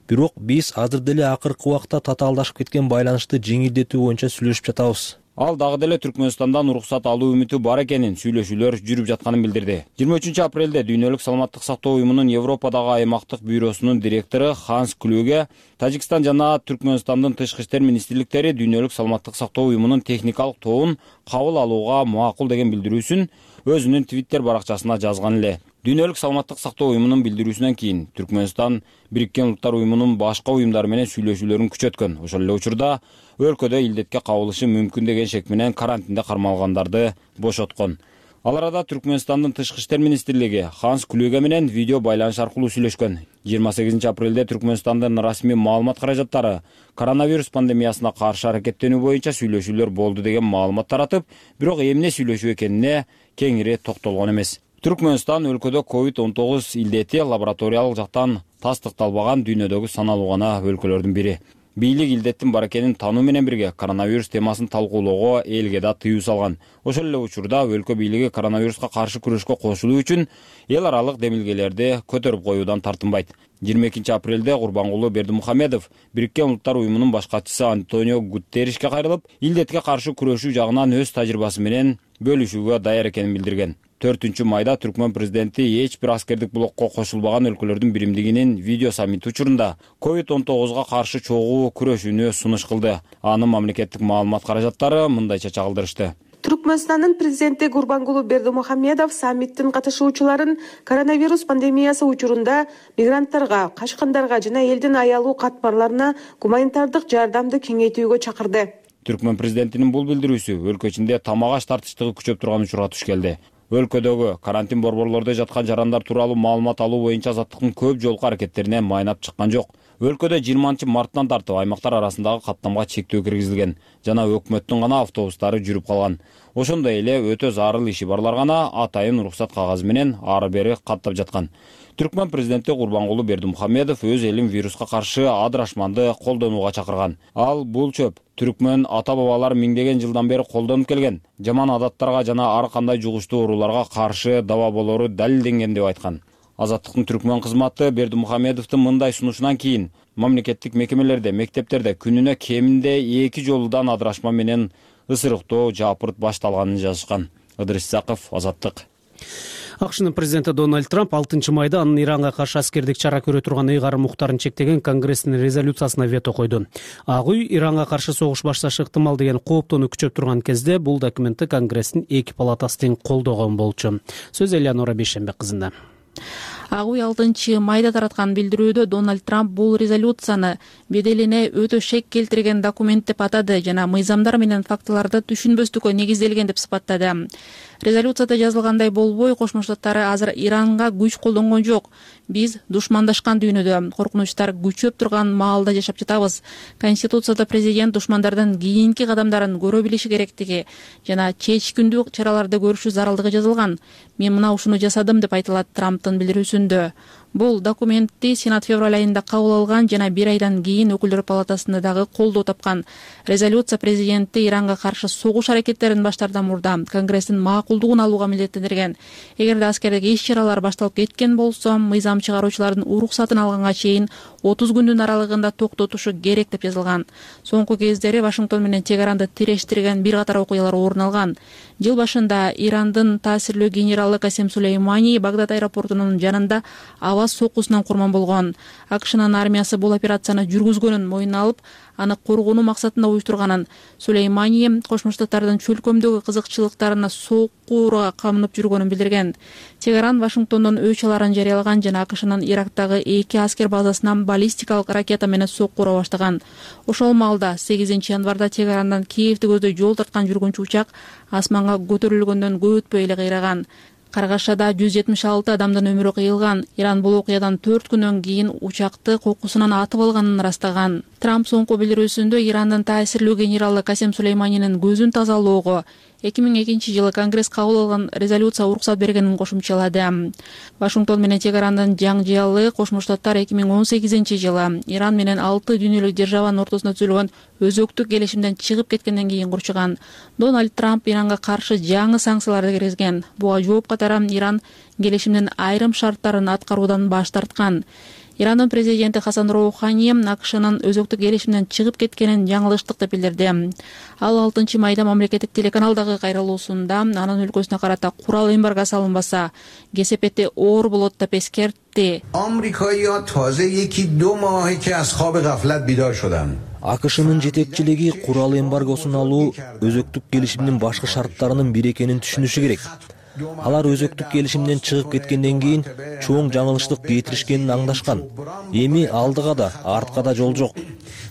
Бирок биз азыр деле акыркы убакта татаалдашып кеткен байланышты жеңилдетүү боюнча сүйлөшүп жатабыз. Ал дагы деле Түркмөнстандан уруксат алуу үмүтү бар экенин, сүйлөшүүлөр жүрүп жатканын билдирди. жыйырма үчүнчү апрелде Дүйнөлүк саламаттык сактоо уюмунун Европадагы аймактык бюросунун директору Ханс Клюге Тажикстан жана Түркмөнстандын тышкы иштер министрликтери Дүйнөлүк саламаттык сактоо уюмунун техникалык тобун кабыл алууга макул деген билдирүүсүн өзүнүн Twitter баракчасына жазган эле. Дүйнөлүк саламаттык сактоо уюмунун билдирүүсүнөн кийин Түркмөнстан Бириккен Улуттар уюмунун башка уюмдары менен сүйлөшүүлөрүн күчөткөн. Ошол эле учурда өлкөдө илдетке кабылышы мүмкүн деген шек менен карантинде кармалгандарды бошоткон. Ал арада Түркмөнстандын тышкы иштер министрлиги Ханс Клюге менен видео байланыш аркылуу сүйлөшкөн. жыйырма сегизинчи апрелде Түркмөнстандын расмий маалымат каражаттары коронавирус пандемиясына каршы аракеттенүү боюнча сүйлөшүүлөр болду деген маалымат таратып, бирок эмне сүйлөшүү экенине кеңири токтолгон эмес. Түркмөнстан өлкөдө ковид он тогуз илдети лабораториялык жактан тастыкталбаган дүйнөдөгү саналуу гана өлкөлөрдүн бири. Бийлик илдеттин бар экенин таануу менен бирге коронавирус темасын талкуулоого элге да тыюу салган. Ошол эле учурда өлкө бийлиги коронавируска каршы күрөшкө кошулуу үчүн эл аралык демилгелерди көтөрүп коюудан тартынбайт. жыйырма экинчи апрелде Курбангулу Бердимухамедов Бириккен Улуттар уюмунун баш катчысы Антонио Гутерришке кайрылып, илдетке каршы күрөшүү жагынан өз тажрыйбасы менен бөлүшүүгө даяр экенин билдирген. төртүнчү майда Түркмөн президенти эч бир аскердик блокко кошулбаган өлкөлөрдүн биримдигинин видео саммити учурунда ковид он тогузга каршы чогуу күрөшүүнү сунуш кылды. Анын мамлекеттик маалымат каражаттары мындайча чагылдырышты. Түркмөнстандын президенти Гурбангулу Бердимухамедов саммиттин катышуучуларын коронавирус пандемиясы учурунда мигранттарга, качкындарга жана элдин аялуу катмарларына гуманитардык жардамды кеңейтүүгө чакырды. Түркмөн президентинин бул билдирүүсү өлкө ичинде тамак-аш тартыштыгы күчөп турган учурга туш келди. Өлкөдөгү карантин борборлордо жаткан жарандар тууралуу маалымат алуу боюнча азаттыктын көп жолку аракеттерине майнап чыккан жок. Өлкөдө жыйырманчы марттан тартып аймактар арасындагы каттамга чектөө киргизилген жана өкмөттүн гана автобустары жүрүп калган. Ошондой эле өтө зарыл иши барлар гана атайын уруксат кагазы менен ары бери каттап жаткан. Түркмөн президенти Курбангулу Бердимухамедов өз элин вируска каршы адырашманды колдонууга чакырган. Ал бул чөп түркмөн ата-бабалар миңдеген жылдан бери колдонуп келген жаман адаттарга жана ар кандай жугуштуу ооруларга каршы даба болору далилденген деп айткан. Азаттыктын түркмөн кызматы Бердимухамедовдун мындай сунушунан кийин мамлекеттик мекемелерде, мектептерде күнүнө кеминде эки жолудан адырашма менен ысырыктоо жапырт башталганын жазышкан. Ыдырыс Исаков, Азаттык. АКШнын президенти Дональд Трамп алтынчы майда анын Иранга каршы аскердик чара көрө турган ыйгарым укуктарын чектеген Конгресстин резолюциясына вето койду. Ак үй Иранга каршы согуш башташы ыктымал деген кооптоону күчөп турган кезде бул документти Конгресстин эки палатасы тең колдогон болчу. Сөз Элеонора Бейшембек кызында. Ак үй алтынчы майда тараткан билдирүүдө Дональд Трамп бул резолюцияны беделине өтө шек келтирген документ деп атады жана мыйзамдар менен фактыларды түшүнбөстүккө негизделген деп сыпаттады. Резолюцияда жазылгандай болбой, Кошмо Штаттары азыр Иранга күч колдонгон жок. Биз душмандашкан дүйнөдө, коркунучтар күчөп турган маалда жашап жатабыз. Конституцияда президент душмандардын кийинки кадамдарын көрө билиши керектиги жана чечкиндүү чараларды көрүшү зарылдыгы жазылган. Мен мына ушуну жасадым деп айтылат Трамптын билдирүүсүндө. Бул документти Сенат февраль айында кабыл алган жана бир айдан кийин Өкүлдөр палатасында дагы колдоо тапкан. Резолюция президентти Иранга каршы согуш аракеттерин баштаардан мурда Конгресстин макулдугун алууга милдеттендирген. Эгерде аскердик иш-чаралар башталып кеткен болсо, мыйзам чыгаруучулардын уруксатын алганга чейин отуз күндүн аралыгында токтотушу керек деп жазылган. Соңку кездери Вашингтон менен Тегеранды тирештирген бир катар окуялар орун алган. Жыл башында Ирандын таасирлүү генералы Касем Сулеймани Багдад аэропортунун жанында аваз сокусунан курман болгон. АКШнын армиясы бул операцияны жүргүзгөнүн мойнуна алып, аны коргонуу максатында уюштурганын. Сулеймани Кошмо Штаттардын чөлкөмдөгү кызыкчылыктарына сокууга камынып жүргөнүн билдирген. Тегеран Вашингтондон өч аларын жарыялаган жана АКШнын Ирактагы эки аскер базасынан баллистикалык ракета менен соккура баштаган. Ошол маалда сегизинчи январда Тегерандан Киевди көздөй жол тарткан жүргүнчү учак асманга көтөрүлгөндөн көп өтпөй эле кыйраган. Каргашада жүз жетимиш алты адамдын өмүрү кыйылган. Иран бул окуядан төрт күнөн кийин учакты кокусунан атып алганын ырастаган. Трамп соңку билдирүүсүндө Ирандын таасирлүү генералы Касем Сулейманинин көзүн тазалоого эки миң экинчи жылы Конгресс кабыл алган резолюция уруксат бергенин кошумчалады. Вашингтон менен Тегерандын жаңжыялы Кошмо Штаттар эки миң он сегизинчи жылы Иран менен алты дүйнөлүк державанын ортосуна түзүлгөн өзөктүк келишимден чыгып кеткенден кийин курчуган. Дональд Трамп Иранга каршы жаңы санкцияларды киргизген. Буга жооп катары Иран келишимдин айрым шарттарын аткаруудан баш тарткан. Ирандын президенти Хасан Роухани АКШнын өзөктүк келишимден чыгып кеткенин жаңылыштык деп билдирди. Ал алтынчы майда мамлекеттик телеканалдагы кайрылуусунда анын өлкөсүнө карата курал эмбарго салынбаса, кесепети оор болот деп эскертти. Америкалыктар таза эки ду мааhe ke az khab gaflat bidor shudan. АКШнын жетекчилиги курал эмбаргосун алуу өзөктүк келишимдин башкы шарттарынын бири экенин түшүнүшү керек. Алар өзөктүк келишимден чыгып кеткенден кийин чоң жаңылыштык кетиришкенин аңдашкан. Эми алдыга да, артка да жол жок.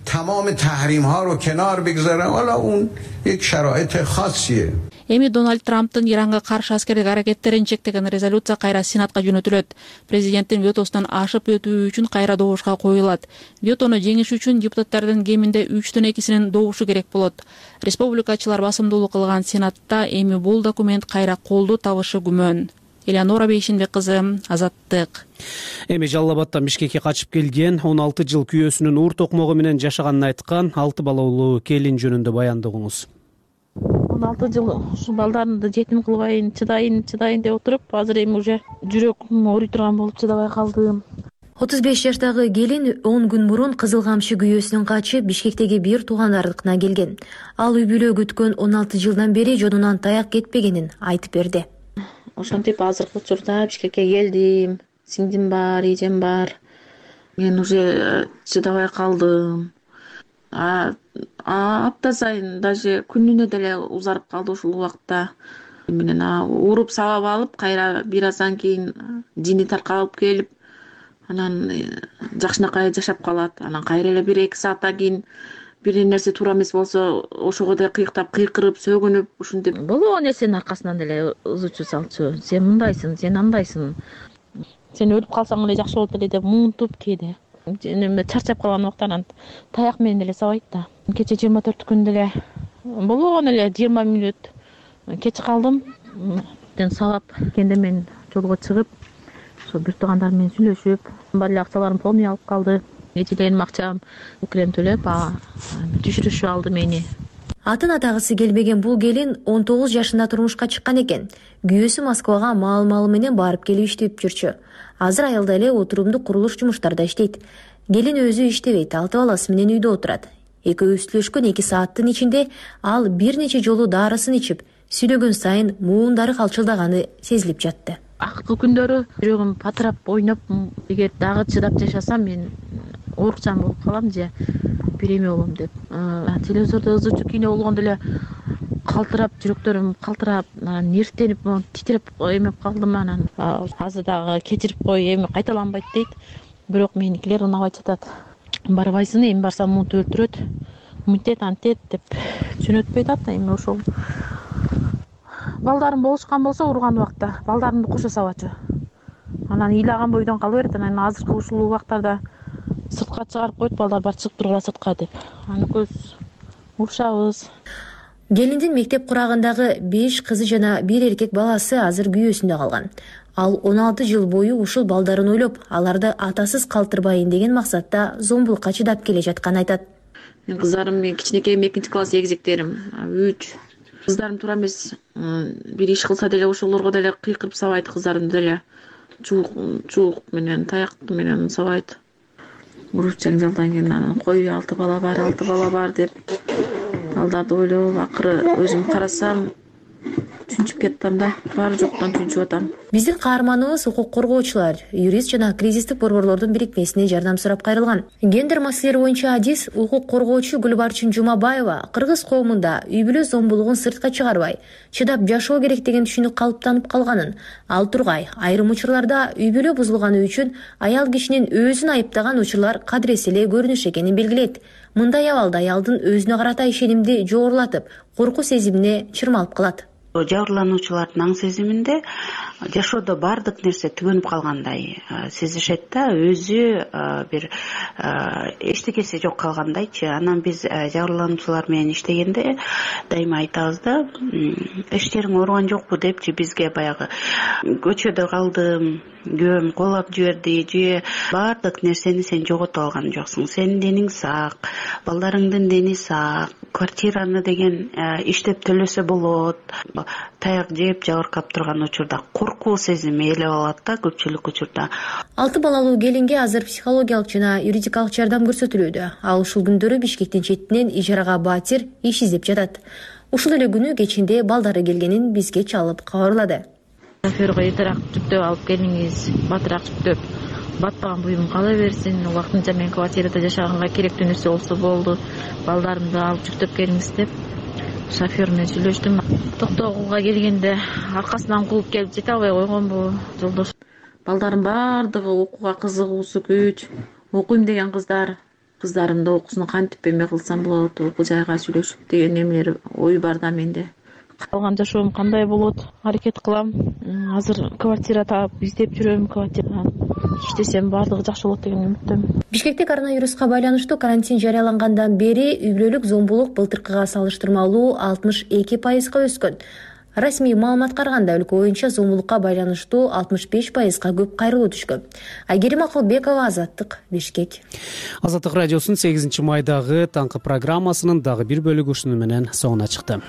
تمام تحریم ها رو کنار بگذارن حالا اون یک شرایط خاصیه. Эми Дональд Трамптын Иранга каршы аскердик аракеттерин чектеген резолюция кайра Сенатка жөнөтүлөт. Президенттин ветосунан ашып өтүү үчүн кайра добушка коюлат. Ветону жеңиш үчүн депутаттардын кеминде үчтөн экисинин добушу керек болот. Республикачылар басымдуулук кылган Сенатта эми бул документ кайра колдоо табышы күмөн. Элеонора Бейшинбек кызы, Азаттык. Эми Жалал Абадтан Бишкекке качып келген он алты жыл күйөөсүнүн уур токмогу менен жашаганын айткан алты балалуу келин жөнүндө баяндыгыңыз. он алты жыл ушу балдарымды жетим кылбайын, чыдайын, чыдайын деп отуруп, азыр эми уже жүрөгүм ооруй турган болуп чыдабай калдым. отуз беш жаштагы келин он күн мурун Кызыл Камчы күйөөсүнөн качып Бишкектеги бир туугандарыкына келген. Ал үй бүлө күткөн он алты жылдан бери жонунан таяк кетпегенин айтып берди. Ошентип азыркы учурда Бишкекке келдим. Сиңдим бар, эжем бар. Мен уже чыдабай калдым. А апта сайын даже күнүнө деле узарып калды ушул убакта. Менен уруп сабап алып, кайра бир аздан кийин жини таркалып келип, анан жакшынакай жашап калат. Анан кайра эле бир эки сааттан кийин бир нерсе туура эмес болсо, ошого да кыйктап, кыйкырып, сөгүнүп, ушинтип болгон нерсенин аркасынан деле ызычуу салчу. Сен мындайсың, сен андайсың. Сен өлүп калсаң эле жакшы болот эле деп муунтуп кээде. Чарчап калган убактан таяк менен деле сабайт да. Кече жыйырма төрт күн деле болгон эле жыйырма мүнөт кеч калдым. Ден сабап кенде мен жолго чыгып, ошо бир туугандар менен сүйлөшүп, бар эле акчаларым полный алып калды. Эжелерим акчам үкүлем төлөп, түшүрүшүп алды мени. Атын атагысы келбеген бул келин он тогуз жашында турмушка чыккан экен. Күйөөсү Москвага маал-маалы менен барып келип иштеп жүрчү. Азыр айылда эле отурумдук курулуш жумуштарда иштейт. Келин өзү иштебейт, алты баласы менен үйдө отурат. Экөө сүйлөшкөн эки сааттын ичинде ал бир нече жолу дарысын ичип, сүйлөгөн сайын муундары калчылдаганы сезилип жатты. Акыркы күндөрү жүрөгүм патырап, ойноп, эгер дагы чыдап жашасам мен оорукчан болуп калам же бир эме болом деп. Телевизордо ызычуу кино болгондо эле калтырап, жүрөктөрүм калтырап, нервтенип, титиреп эмеп калдым. Анан азыр дагы кечирип кой, эми кайталанбайт дейт. Бирок меникилер унабай жатат. Барбайсың, эми барсам муну өлтүрөт, мынтет, антет деп жөнөтпөйт атат. Эми ошол балдарым болушкан болсо урган убакта балдарымды кошо сабачу. Анан ыйлаган бойдон кала берет. Анан азыркы ушул убактарда сыртка чыгарып коет, балдар бар чыгып тургула сыртка деп. Аны көз урушабыз. Келиндин мектеп курагындагы беш кызы жана бир эркек баласы азыр күйөөсүндө калган. Ал он алты жыл бою ушул балдарын ойлоп, аларды атасыз калтырбайын деген максатта зомбулукка чыдап келе жатканын айтат. Мен кыздарым, мен кичинекейим экинчи класс эгизектерим үч. Кыздарым туура эмес, бир иш кылса деле ошолорго деле кыйкырып сабайт, кыздарым деле чуук чуук менен таяк менен сабайт. Уруп жаңжалдан кийин анан кой алты бала бар, алты бала бар деп балдарды ойлоп, акыры өзүм карасам түнчүп кеттим да, баары жоктон түнчүп атам. Биздин каарманыбыз укук коргоочулар, юрист жана кризистик борборлордун бирикмесине жардам сурап кайрылган. Гендер маселелери боюнча адис укук коргоочу Гүлбарчын Жумабаева кыргыз коомунда үй бүлө зомбулугун сыртка чыгарбай, чыдап жашоо керек деген түшүнүк калыптанып калганын, ал тургай айрым учурларда үй бүлө бузулганы үчүн аял кишинин өзүн айыптаган учурлар кадырес эле көрүнүш экенин белгилейт. Мындай абалда аялдын өзүнө карата ишенимди жогорулатып, коркуу сезимине чырмалып калат. Жабырлануучулардын аң сезиминде жашоодо баардык нерсе түгөнүп калгандай сезишет да, өзү бир эчтекеси жок калгандайчы. Анан биз жабырлануучулар менен иштегенде дайыма айтабыз да, эчтериң ооруган жокпу депчи бизге баягы көчөдө калдым, күйөөм коолап жиберди, же баардык нерсени сен жоготуп алган жоксуң, сенин дениң сак, балдарыңдын дени сак, квартираны деген иштеп төлөсө болот, таяк жеп жабыркап турган учурда коркуу сезими ээлеп алат да көпчүлүк учурда. Алты балалуу келинге азыр психологиялык жана юридикалык жардам көрсөтүлүүдө. Ал ушул күндөрү Бишкектин четинен ижарага батир иш издеп жатат. Ушул эле күнү кечинде балдары келгенин бизге чалып кабарлады. Шофёрго эртерээк жүктөп алып келиңиз, батыраак жүктөп, батпаган буюм кала берсин, убактынча мен квартирада жашаганга керектүү нерсе болсо болду, балдарымды алып жүктөп келиңиз деп шофер менен сүйлөштүм. Токтогулга келгенде аркасынан кууп келип жете албай койгонбу жолдош. Балдардын баардыгы окууга кызыгуусу күч, окуйм деген кыздар, кыздарымды окуусун кантип эме кылсам болот, окуу жайга сүйлөшүп деген эмелер ой бар да менде. Калган жашоом кандай болот, аракет кылам. Азыр квартира таап издеп жүрөм, квартира иштесем баардыгы жакшы болот деген үмүттөмүн. Бишкекте коронавируска байланыштуу карантин жарыялангандан бери үй бүлөлүк зомбулук былтыркыга салыштырмалуу алтымыш эки пайызга өскөн. Расмий маалыматка караганда өлкө боюнча зомбулукка байланыштуу алтымыш беш пайызга көп кайрылуу түшкөн. Айгерим Акылбекова, Азаттык, Бишкек. Азаттык радиосунун сегизинчи майдагы таңкы программасынын дагы бир бөлүгү ушуну менен соңуна чыкты.